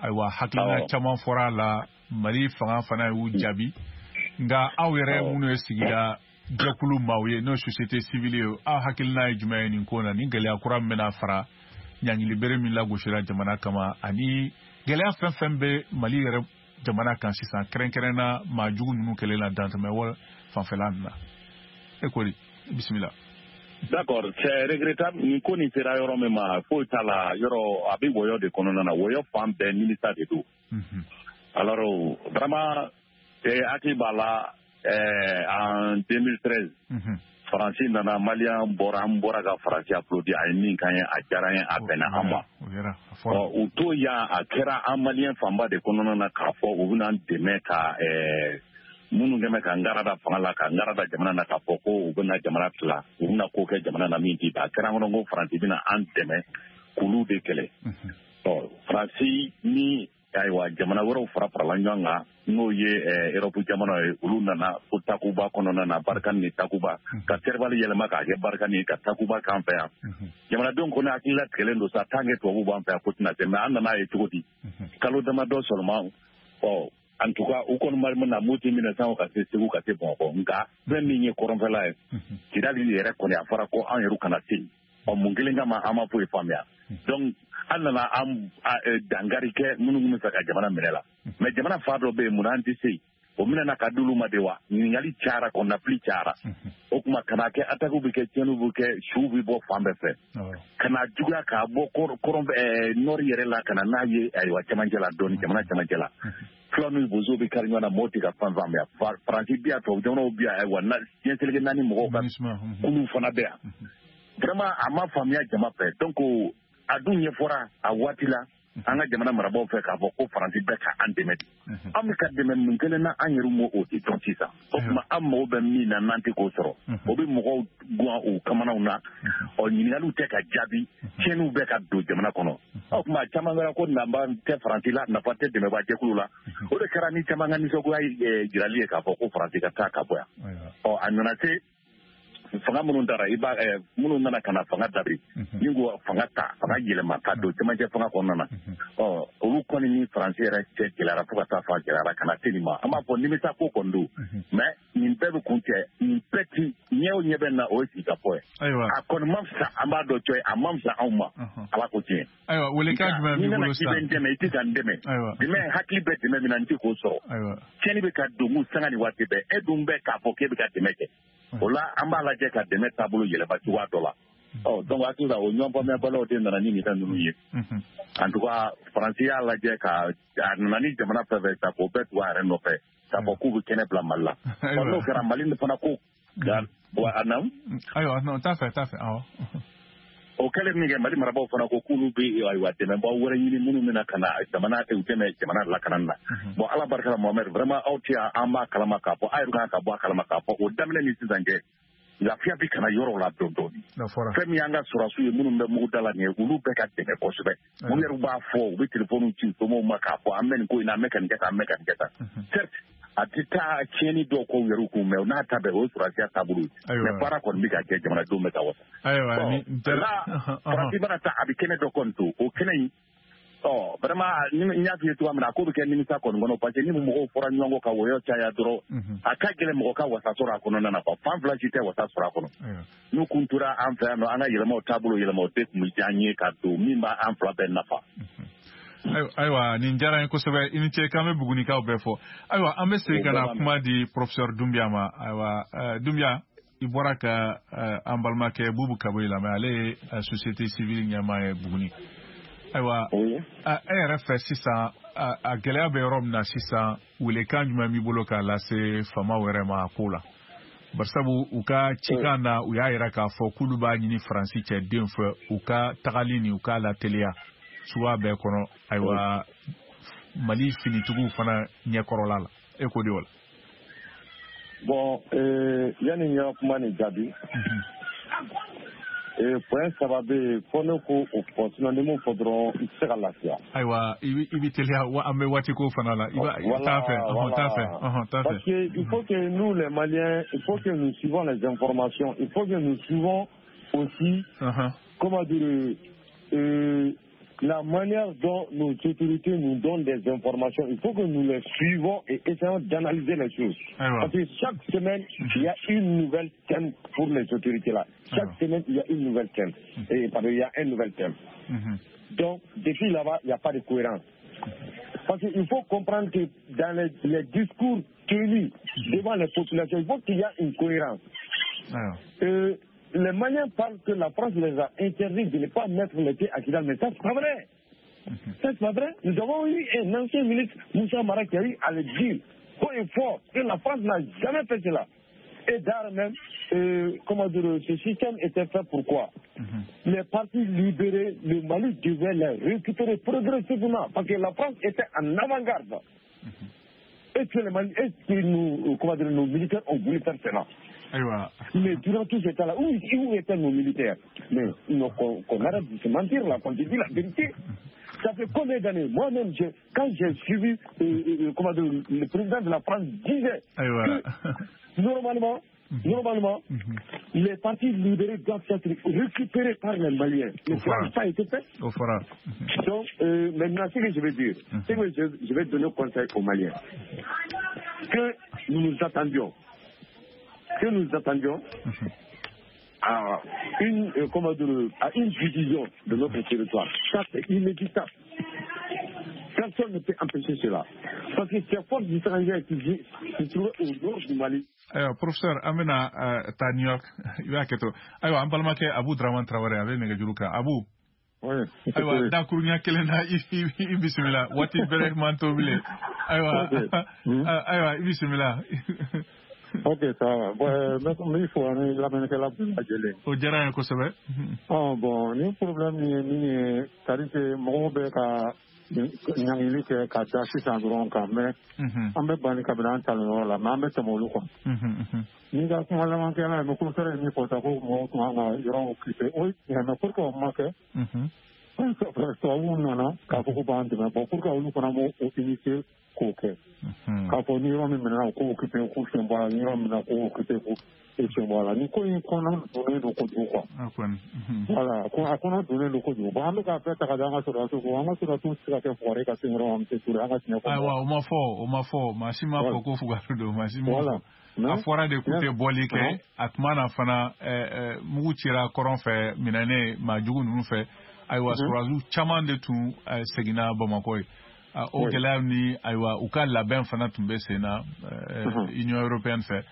Ayiwa, hakilina caman fɔra a la, Mali fanga fana y'u jaabi. Nka aw yɛrɛ minnu ye sigida jɛkulu maaw ye, n'o ye société civile ye, aw hakilina ye jumɛn ye nin ko na, ni gɛlɛya kura min bɛna fara ɲangilibere min lagosira jamana kama, ani gɛlɛya fɛn fɛn bɛ Mali yɛrɛ jamana kan sisan, kɛrɛnkɛrɛnna maa jugu ninnu kɛlen na dantɛmɛ wale fanfɛla ninnu na. E ko di? Bisimila. D'accord, c'est regrettable. Nin ko nin sera yɔrɔ min ma, foyi t'a la, yɔrɔ a bɛ wɔyɔ de kɔnɔna na, wɔyɔ fan bɛɛ nimisa de don. Alors vraiment, hakili b'a la en 2013, Faransi nana, Malien bɔra, an bɔra ka Faransi applaudi, a ye min k'an ye, a diyara an ye, a bɛnna an ma. U to yan, a kɛra an Malien fanba de kɔnɔna na k'a fɔ u bɛna an dɛmɛ ka minnu kɛmɛ ka n da fanga la, ka n da jamana na, k'a fɔ ko u bɛna jamana tila, u bɛna ko kɛ jamana na min t'i ban. A kɛra an kɔnɔ ko Faransi bɛna an dɛmɛ k'olu de kɛlɛ. Ɔ Faransi ni ayiwa jamana wɛrɛw farala ɲɔgɔn kan, n'o ye Europe jamanaw ye, olu nana fo Takuba kɔnɔna na, Barkhane ni Takuba, ka Serval yɛlɛma k'a kɛ Barkhane ye, ka Takuba k'an fɛ yan. Jamanadenw kɔni hakili latigɛlen don sa, tant que tubabuw b'an fɛ yan ko tɛna se, mais an nana ye cogo di? Kalo damadɔ seulement, ɔ en tout cas u kɔni ma na Moti minɛ sango ka se Segu, ka se Bamakɔ. Nka fɛn min ye kɔrɔnfɛla ye, Kidali yɛrɛ kɔni a fɔra ko an yɛrɛ kana se yen. Ɔ mun kelen kama an ma foyi faamuya. Donc an nana an dankari kɛ minnu bɛ fɛ ka jamana minɛ la. Mais jamana fa dɔ bɛ yen, mun an tɛ se yen? O minɛna ka d'olu ma de wa? Ɲininkali cayara, kɔnɔnafili cayara. O tuma kana kɛ attaque bɛ kɛ, tiɲɛniw bɛ kɛ, suw bɛ bɔ fan bɛɛ fɛ. Kana juguya k'a bɔ kɔrɔn nord yɛrɛ la, ka na n'a ye ayiwa cɛmancɛ la dɔɔni, jamana cɛmancɛ la. Fulaw ni bozow bɛ kari ɲɔgɔn na, mɔgɔw tɛ ka fan faamuya. Faransi bi yan, tubabu jamanaw bi yan, ayiwa diɲɛ seleke naani mɔgɔw ka kuluw fana bɛ yan. Vraiment a ma faamuya jama fɛ. Donc a dun ɲɛfɔra a waati la an ka jamana marabaaw fɛ k'a fɔ ko Faransi bɛ ka an dɛmɛ de. An bɛ ka dɛmɛ mun kelen na, an yɛrɛ m'o de dɔn sisan. O tuma an mago bɛ min na, n'an tɛ k'o sɔrɔ, o bɛ mɔgɔw guwan u kamanaw na. Ɔ ɲininkaliw tɛ ka jaabi, tiɲɛniw bɛ ka don jamana kɔnɔ. O tuma caman kɛra ko nafa tɛ Faransi la, nafa tɛ dɛmɛbaa jɛkulu la. O de kɛra ni caman ka nisɔngoya jirali ye k'a fɔ ko Faransi ka taa ka bɔ yan. Ɔ a nana se fanga minnu taara, i b'a minnu nana ka na fanga dabiri, ni ko fanga ta, fanga yɛlɛma ka don cɛmancɛ fanga kɔnɔna na. Ɔ olu kɔni ni Faransi yɛrɛ cɛ gɛlɛyara fo ka taa fɔ a gɛlɛyara ka na se nin ma. An b'a fɔ nimisa ko kɔni don, mais nin bɛɛ bɛ kun cɛ, nin bɛɛ ti ɲɛ o ɲɛ bɛ na, o ye sigikafɔ ye. A kɔni ma fisa, an b'a dɔn cɔ ye, a ma fisa anw ma, Ala ko tiɲɛ. Ayiwa, welekan jumɛn b'i bolo sisan? N'i nana k'i bɛ n dɛmɛ, i tɛ ka n dɛmɛ. Dɛmɛ hakili bɛ dɛmɛ min na, n tɛ k'o sɔrɔ. Tiɲɛni bɛ ka don mun sanga ni waati bɛɛ, e dun bɛ k'a fɔ k'e bɛ ka dɛmɛ kɛ. O la an b'a lajɛ ka dɛmɛ taabolo yɛlɛma cogoya dɔ la. Ɔ donc hakili la o ɲɔgɔn faamuyabaliyaw de nana ni nin fɛn ninnu ye. En tout cas Faransi y'a lajɛ ka a nana ni jamana fɛn fɛn ta k'o bɛɛ tugu a yɛrɛ nɔfɛ, k'a fɔ k'u bɛ kɛnɛ bila Mali la. Ɔ n'o kɛra Mali fana ko a naamu. Ayiwa non t'a fɛ awɔ. O kɛlen min kɛ, Mali marabaaw fana ko k'olu bɛ ayiwa dɛmɛbaaw wɛrɛ ɲini minnu bɛna ka na jamana u dɛmɛ jamana lakanani na. Bon Ala barika la Mohamed, vraiment aw tɛ yan, an b'a kalama k'a fɔ a yɛrɛ kan ka bɔ a kalama k'a fɔ o daminɛ ni sisan cɛ, lafiya bɛ ka na yɔrɔw la dɔɔni dɔɔni. Fɛn min y'an ka sɔrɔdasiw ye minnu bɛ mugu da la nin ye, olu bɛ ka dɛmɛ kosɛbɛ. Olu yɛrɛ b'a fɔ, u bɛ telefɔniw ci u somɔgɔw ma k'a fɔ an bɛ nin ko in na, an bɛ ka nin kɛ tan, an bɛ ka nin kɛ tan. Certes a tɛ taa tiɲɛni dɔw k'u yɛrɛ kun, mais n'a ta bɛɛ o ye sɔrɔdasiya taabolo ye. Mais baara kɔni bɛ ka kɛ, jamanadenw bɛ ka wasa. Ayiwa ni Faransi mana taa, a bɛ kɛnɛ dɔ kɔni to, o kɛnɛ in Ɔ vraiment, n y'a f'i ye cogoya min na, a ko bɛ kɛ nimisa kɔni kɔnɔ, parce que ni mɔgɔw fɔra ɲɔgɔn kɔ ka wɔyɔ caya dɔrɔn, a ka gɛlɛn mɔgɔ ka wasa sɔrɔ a kɔnɔna na quoi. Fan fila si tɛ wasa sɔrɔ a kɔnɔ. N'u kun tora an fɛ yan nɔ, an ka yɛlɛmaw taabolo yɛlɛmaw tɛ kun bɛ diya an ye ka don min b'an fila bɛɛ nafa. Ayiwa, nin diyara n ye kosɛbɛ. I ni ce, k'an bɛ Bugunikaw bɛɛ fɔ. Ayiwa, an bɛ segin ka na kuma di professeur Doumbia ma. Ayiwa Doumbia, i bɔra ka an balimakɛ Bubu Kaboyi lamɛn, ale ye société civile ɲɛmaa ye Buguni. Ayiwa, e yɛrɛ fɛ sisan, a gɛlɛya bɛ yɔrɔ min na sisan, welekan jumɛn b'i bolo k'a lase faamaw yɛrɛ ma a ko la? Barisabu u ka cikan na, u y'a yira k'a fɔ k'olu b'a ɲini Faransi cɛden fɛ u ka tagali ni u k'a lateliya suguya bɛɛ kɔnɔ. Ayiwa, Mali finitigiw fana ɲɛkɔrɔla la, e ko di o la? Bon, yanni n ka kuma nin jaabi, point saba bɛ yen fo ne ko o fɔ, sinon ni m'o fɔ dɔrɔn i tɛ se ka lafiya. Ayiwa, i bɛ teliya, an bɛ waati ko fana la. I b'a t'a fɛ, t'a fɛ, t'a fɛ. Parce que il faut que nous les Maliens, il faut que nous suivons les informations, il faut que nous suivons aussi, comment dire, la manière dont nos autorités nous donnent des informations, il faut que nous les suivons et essayons d'analyser les choses. Parce que chaque semaine, il y a une nouvelle thème pour les autorités là. Chaque semaine, il y a une nouvelle thème. Et, pardon, il y a un nouvel thème. Donc, depuis là-bas, il n'y a pas de cohérence. Parce qu'il faut comprendre que dans les discours tenus devant les populations, il faut qu'il y ait une cohérence. Les Maliens parlent que la France les a interdits de ne pas mettre les pieds à Kidal, mais ça, c'est pas vrai. Ça, c'est pas vrai. Nous avons eu un ancien ministre, Moussa Mara, qui a eu à le dire haut et fort que la France n'a jamais fait cela. Et d'ailleurs même, comment dire, ce système était fait pourquoi? Les partis libérés, le Mali devait les récupérer progressivement, parce que la France était en avant-garde. Et que les Mali, et que nous, comment dire, nos militaires ont voulu faire cela. Mais durant tout ce temps-là, où étaient nos militaires? Mais qu'on arrête de se mentir là, qu'on dit la vérité. Ça fait combien d'années? Moi-même, quand j'ai suivi, comment dire, le président de la France disait que normalement, les partis libérés doivent être récupérés par les Maliens. Mais ça n'a pas été fait. Donc, maintenant, ce que je vais dire, c'est que je vais donner conseil aux Maliens. Que nous nous attendions. Que nous attendions à une, comment dire, à une division de notre territoire. Ça, c'est inévitable. Personne ne peut empêcher cela. Parce que ces forces étrangères qui se trouvent au nord du Mali. Ayiwa, professeur, an bɛna taa New York. I b'a kɛ to. Ayiwa, an balimakɛ Abu Dramane Traoré, a bɛ nɛgɛjuru kan. Abu. Ayiwa, dakuruɲɛ kelen na, i bisimila. Waati bɛrɛ man to bilen. Ayiwa, ayiwa, i bisimila. Ok, ça va. Bon, n b'i fo ani lamɛnnikɛla bɛɛ lajɛlen. O diyara n ye kosɛbɛ. Bon, ni problème ye min ye, c'est à dire que mɔgɔw bɛ ka ɲangili kɛ ka da sisan dɔrɔn kan, mais an bɛ banni kabini an talen yɔrɔ la, mais an bɛ tɛmɛ olu kan. N'i ka kuma labankɛla ye, mais professeur ye min fɔ tan ko mɔgɔw tun kan ka yɔrɔ occuper, o ye tiɲɛ, mais pour que o ma kɛ, tubabuw nana k'a fɔ ko b'an dɛmɛ. Bon, pour que olu fana m'o initier k'o kɛ, k'a fɔ ni yɔrɔ min minɛna u k'o occuper k'u sen bɔ a la, ni yɔrɔ min minɛna k'o occuper k'u sen bɔ a la. Nin ko in kɔnɔ donnen don kojugu quoi. Voilà, a kɔnɔ donnen don kojugu. Bon, an bɛ k'a bɛɛ ta ka da an ka sɔrɔdasiw kun. An ka sɔrɔdasiw tɛ se ka kɛ fugari ka se yɔrɔ ma, Monsieur Touré, an ka tiɲɛ fɔ. Ayiwa, o ma fɔ, maa si ma fɔ ko fugari don, maa si ma fɔ. A fɔra de k'u tɛ bɔli kɛ. A tuma na fana, mugu cira kɔrɔn fɛ minɛnen maa jugu ninnu fɛ. Ayiwa, sɔrɔdasiw caman de tun seginna Bamakɔ ye. O gɛlɛya ni, ayiwa, u ka labɛn fana tun bɛ sen na Union européenne fɛ.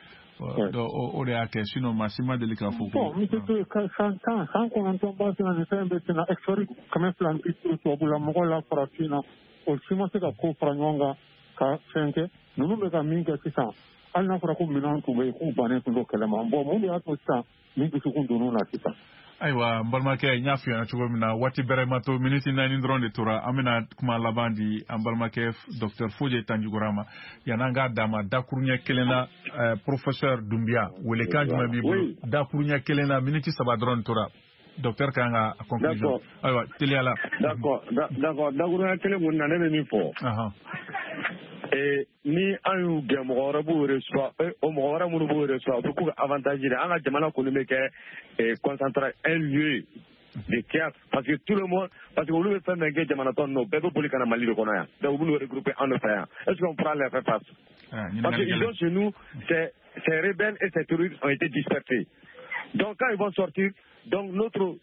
Donc o de y'a kɛ, sinon maa si ma deli k'a fɔ ko. Bon, monsieur Touré, san 10 san 9 ba sen na, nin fɛn bɛ sen na, expert 250 tubabula mɔgɔ la farafin na, o si ma se ka ko fara ɲɔgɔn kan ka fɛn kɛ. Ninnu bɛ ka min kɛ sisan, hali n'a fɔra ko minɛnw tun bɛ yen k'u bannen tun don kɛlɛ ma. Bon, mun de y'a to sisan nin dusukun donn'u na sisan? Ayiwa, n balimakɛ, n y'a f'i ɲɛna cogo min na, waati bɛrɛ ma to, miniti 4 dɔrɔn de tora. An bɛna kuma laban di an balimakɛ docteur Foje Tanjugora ma. Yan'an k'a d'a ma, dakuruɲɛ kelen na, professeur Doumbia, welekan jumɛn b'i bolo? Dakuruɲɛ kelen na, miniti 3 dɔrɔn de tora. Docteur kan ka conclusion. Ayiwa, teliya la. D'accord, dakuruɲɛ kelen kɔni na, ne bɛ min fɔ. Ni an y'u gɛn, mɔgɔ wɛrɛ b'u reçoit, o mɔgɔ wɛrɛ minnu b'u reçoit, o bɛ k'u ka avantage de. An ka jamana kɔni bɛ kɛ concentré un lieu. de théâtre, parce que tout le monde, parce que olu bɛ fɛn fɛn kɛ jamana tɔ ninnu, bɛɛ bɛ boli ka na Mali de kɔnɔ yan. Donc u bɛ n'u regrouper an nɔfɛ yan. Est-ce qu'on pourra les faire face? Parce qu'ils ont chez nous, ces rebelles et ces terroristes ont été dispersés. Donc quand ils vont sortir, donc notre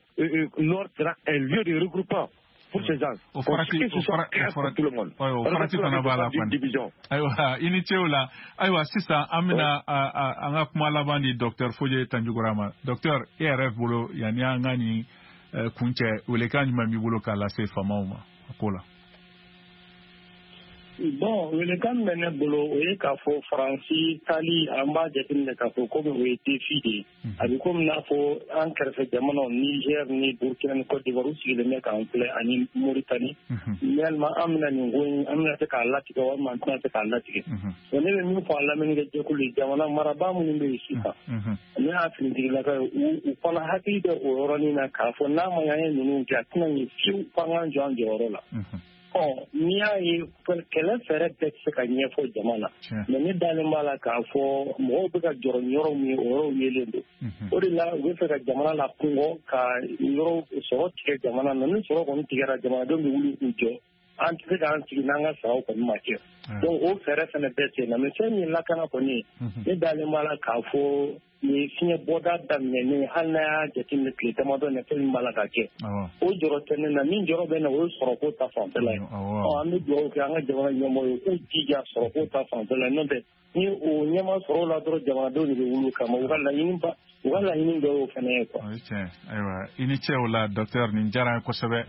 nord sera un lieu de regroupement pour ces gens. O farati Que ce soit clair pour tout le monde. O farati fana b'a la kɔni. Ayiwa, i ni ce o la. Ayiwa, sisan an bɛna an ka kuma laban di docteur Foje Tanjugura ma. Docteur, e yɛrɛ bolo, yanni an ka nin kuncɛ, welekan jumɛn b'i bolo k'a lase faamaw ma a ko la? Bon, welekan min bɛ ne bolo, o ye k'a fɔ Faransi taali, an b'a jateminɛ k'a fɔ komi o ye défi de ye. A bɛ komi n'a fɔ an kɛrɛfɛ jamanaw Niger ni Burkina ni Côte d'Ivoire, u sigilen bɛ k'an filɛ, ani Mauritanie. Yalima an bɛna nin ko in, an bɛna se k'a latigɛ walima an tɛna se k'a latigɛ? Bon, ne bɛ min fɔ a lamɛnnikɛ jɛkulu ye, jamana marabaa minnu bɛ yen sisan, ne y'a finitigilaka ye, u fana hakili bɛ o yɔrɔnin na k'a fɔ n'a ma ɲɛ an ye ninnu kɛ, a tɛna ɲɛ fiyewu f'an k'an jɔ an jɔyɔrɔ la. Ɔ, n'i y'a ye, kɛlɛ fɛɛrɛ bɛɛ tɛ se ka ɲɛfɔ jama na, mais ne dalen b'a la k'a fɔ mɔgɔw bɛ ka jɔrɔ ni yɔrɔ min ye, o yɔrɔw yelen don. O de la u bɛ fɛ ka jamana la kungɔ, ka yɔrɔ sɔrɔ tigɛ jamana na. Ni sɔrɔ kɔni tigɛra, jamanadenw bɛ wuli k'u jɔ. An tɛ se k'an sigi n'an ka saraw kɔni ma kɛ. Donc o fɛɛrɛ fana bɛɛ sen na. Mais fɛn min ye lakana kɔni ye, ne dalen b'a la k'a fɔ nin fiɲɛ bɔda daminɛnen, hali n'a y'a jateminɛ tile damadɔ na, fɛn min b'a la ka kɛ, o jɔrɔ tɛ ne na. Min jɔrɔ bɛ na, o ye sɔrɔko ta fanfɛla ye. Ɔ, an bɛ dugawu kɛ an ka jamana ɲɛmɔgɔ ye, k'u jija sɔrɔko ta fanfɛla, n'o tɛ ni o ɲɛma sɔrɔ o la dɔrɔn, jamanadenw de bɛ wuli o kama. U ka laɲini ba, u ka laɲini dɔ y'o fana ye quoi. O ye tiɲɛ. Ayiwa, i ni ce o la docteur, nin diyara an ye kosɛbɛ.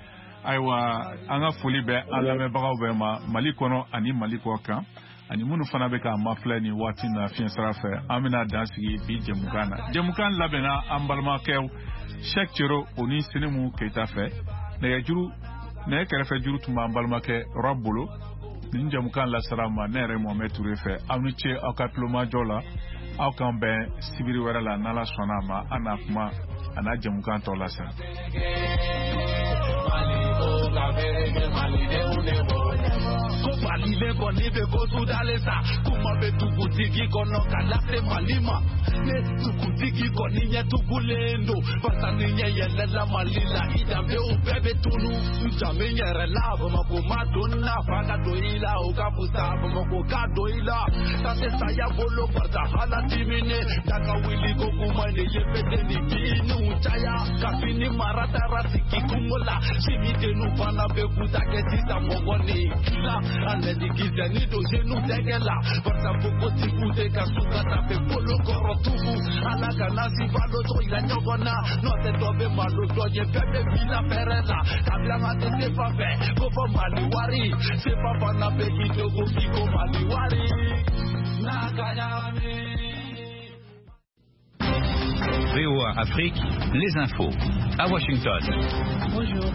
Ayiwa, an ka foli bɛ an lamɛnbagaw bɛɛ ma Mali kɔnɔ ani Mali kɔ kan, ani minnu fana bɛ k'an mafilɛ nin waati na fiɲɛ sira fɛ. An bɛna dan sigi bi jɛmukan na. Jɛmukan labɛnna an balimakɛw Cheikh Cero o ni Senimu Keita fɛ. Nɛgɛjuru, nɛgɛ kɛrɛfɛ juru tun b'an balimakɛ Rɔb bolo. Nin jɛmukan lasara ma ne yɛrɛ Mohamed Touré fɛ. Aw ni ce aw ka tulomajɔ la. Aw k'an bɛn sibiri wɛrɛ la, n'Ala sɔnna a ma, an n'a kuma a n'a jɛmukan tɔ lase. Ko Mali kɔni bɛ ko sudalen sa, kuma bɛ dugutigi kɔnɔ ka lase Mali ma. Ne dugutigi kɔni ɲɛ tugulen don, barisa ni ɲɛ yɛlɛla Mali la, i danbew bɛɛ bɛ tunu. N danbe yɛrɛ la, Bamakɔ ma don na, fa ka don i la, o ka fusa Bamakɔ ka don i la. Ta tɛ saya bolo, barisa ala diminen daga wuli ko kuma de ye fete ni diniw caya. Kabini mara taara sigi kungo la, sini denw fana bɛ kuta kɛ sisan mɔgɔ ni kila. Ale ni kisɛ ni don senu tɛgɛ la, barisa npogotigiw tɛ ka su ka tafe bolo kɔrɔ tugu. Ala kana si balo tɔ yira ɲɔgɔn na, n'o tɛ dɔ bɛ malo dɔ ye, bɛɛ bɛ bila fɛrɛ la. Kabila an tɛ sefa fɛ, ko fɔ Mali wari, sefa fana bɛ k'i dogo k'i ko Mali wari. N'a ka ɲagami. VOA Afrique, les infos. À Washington. Bonjour.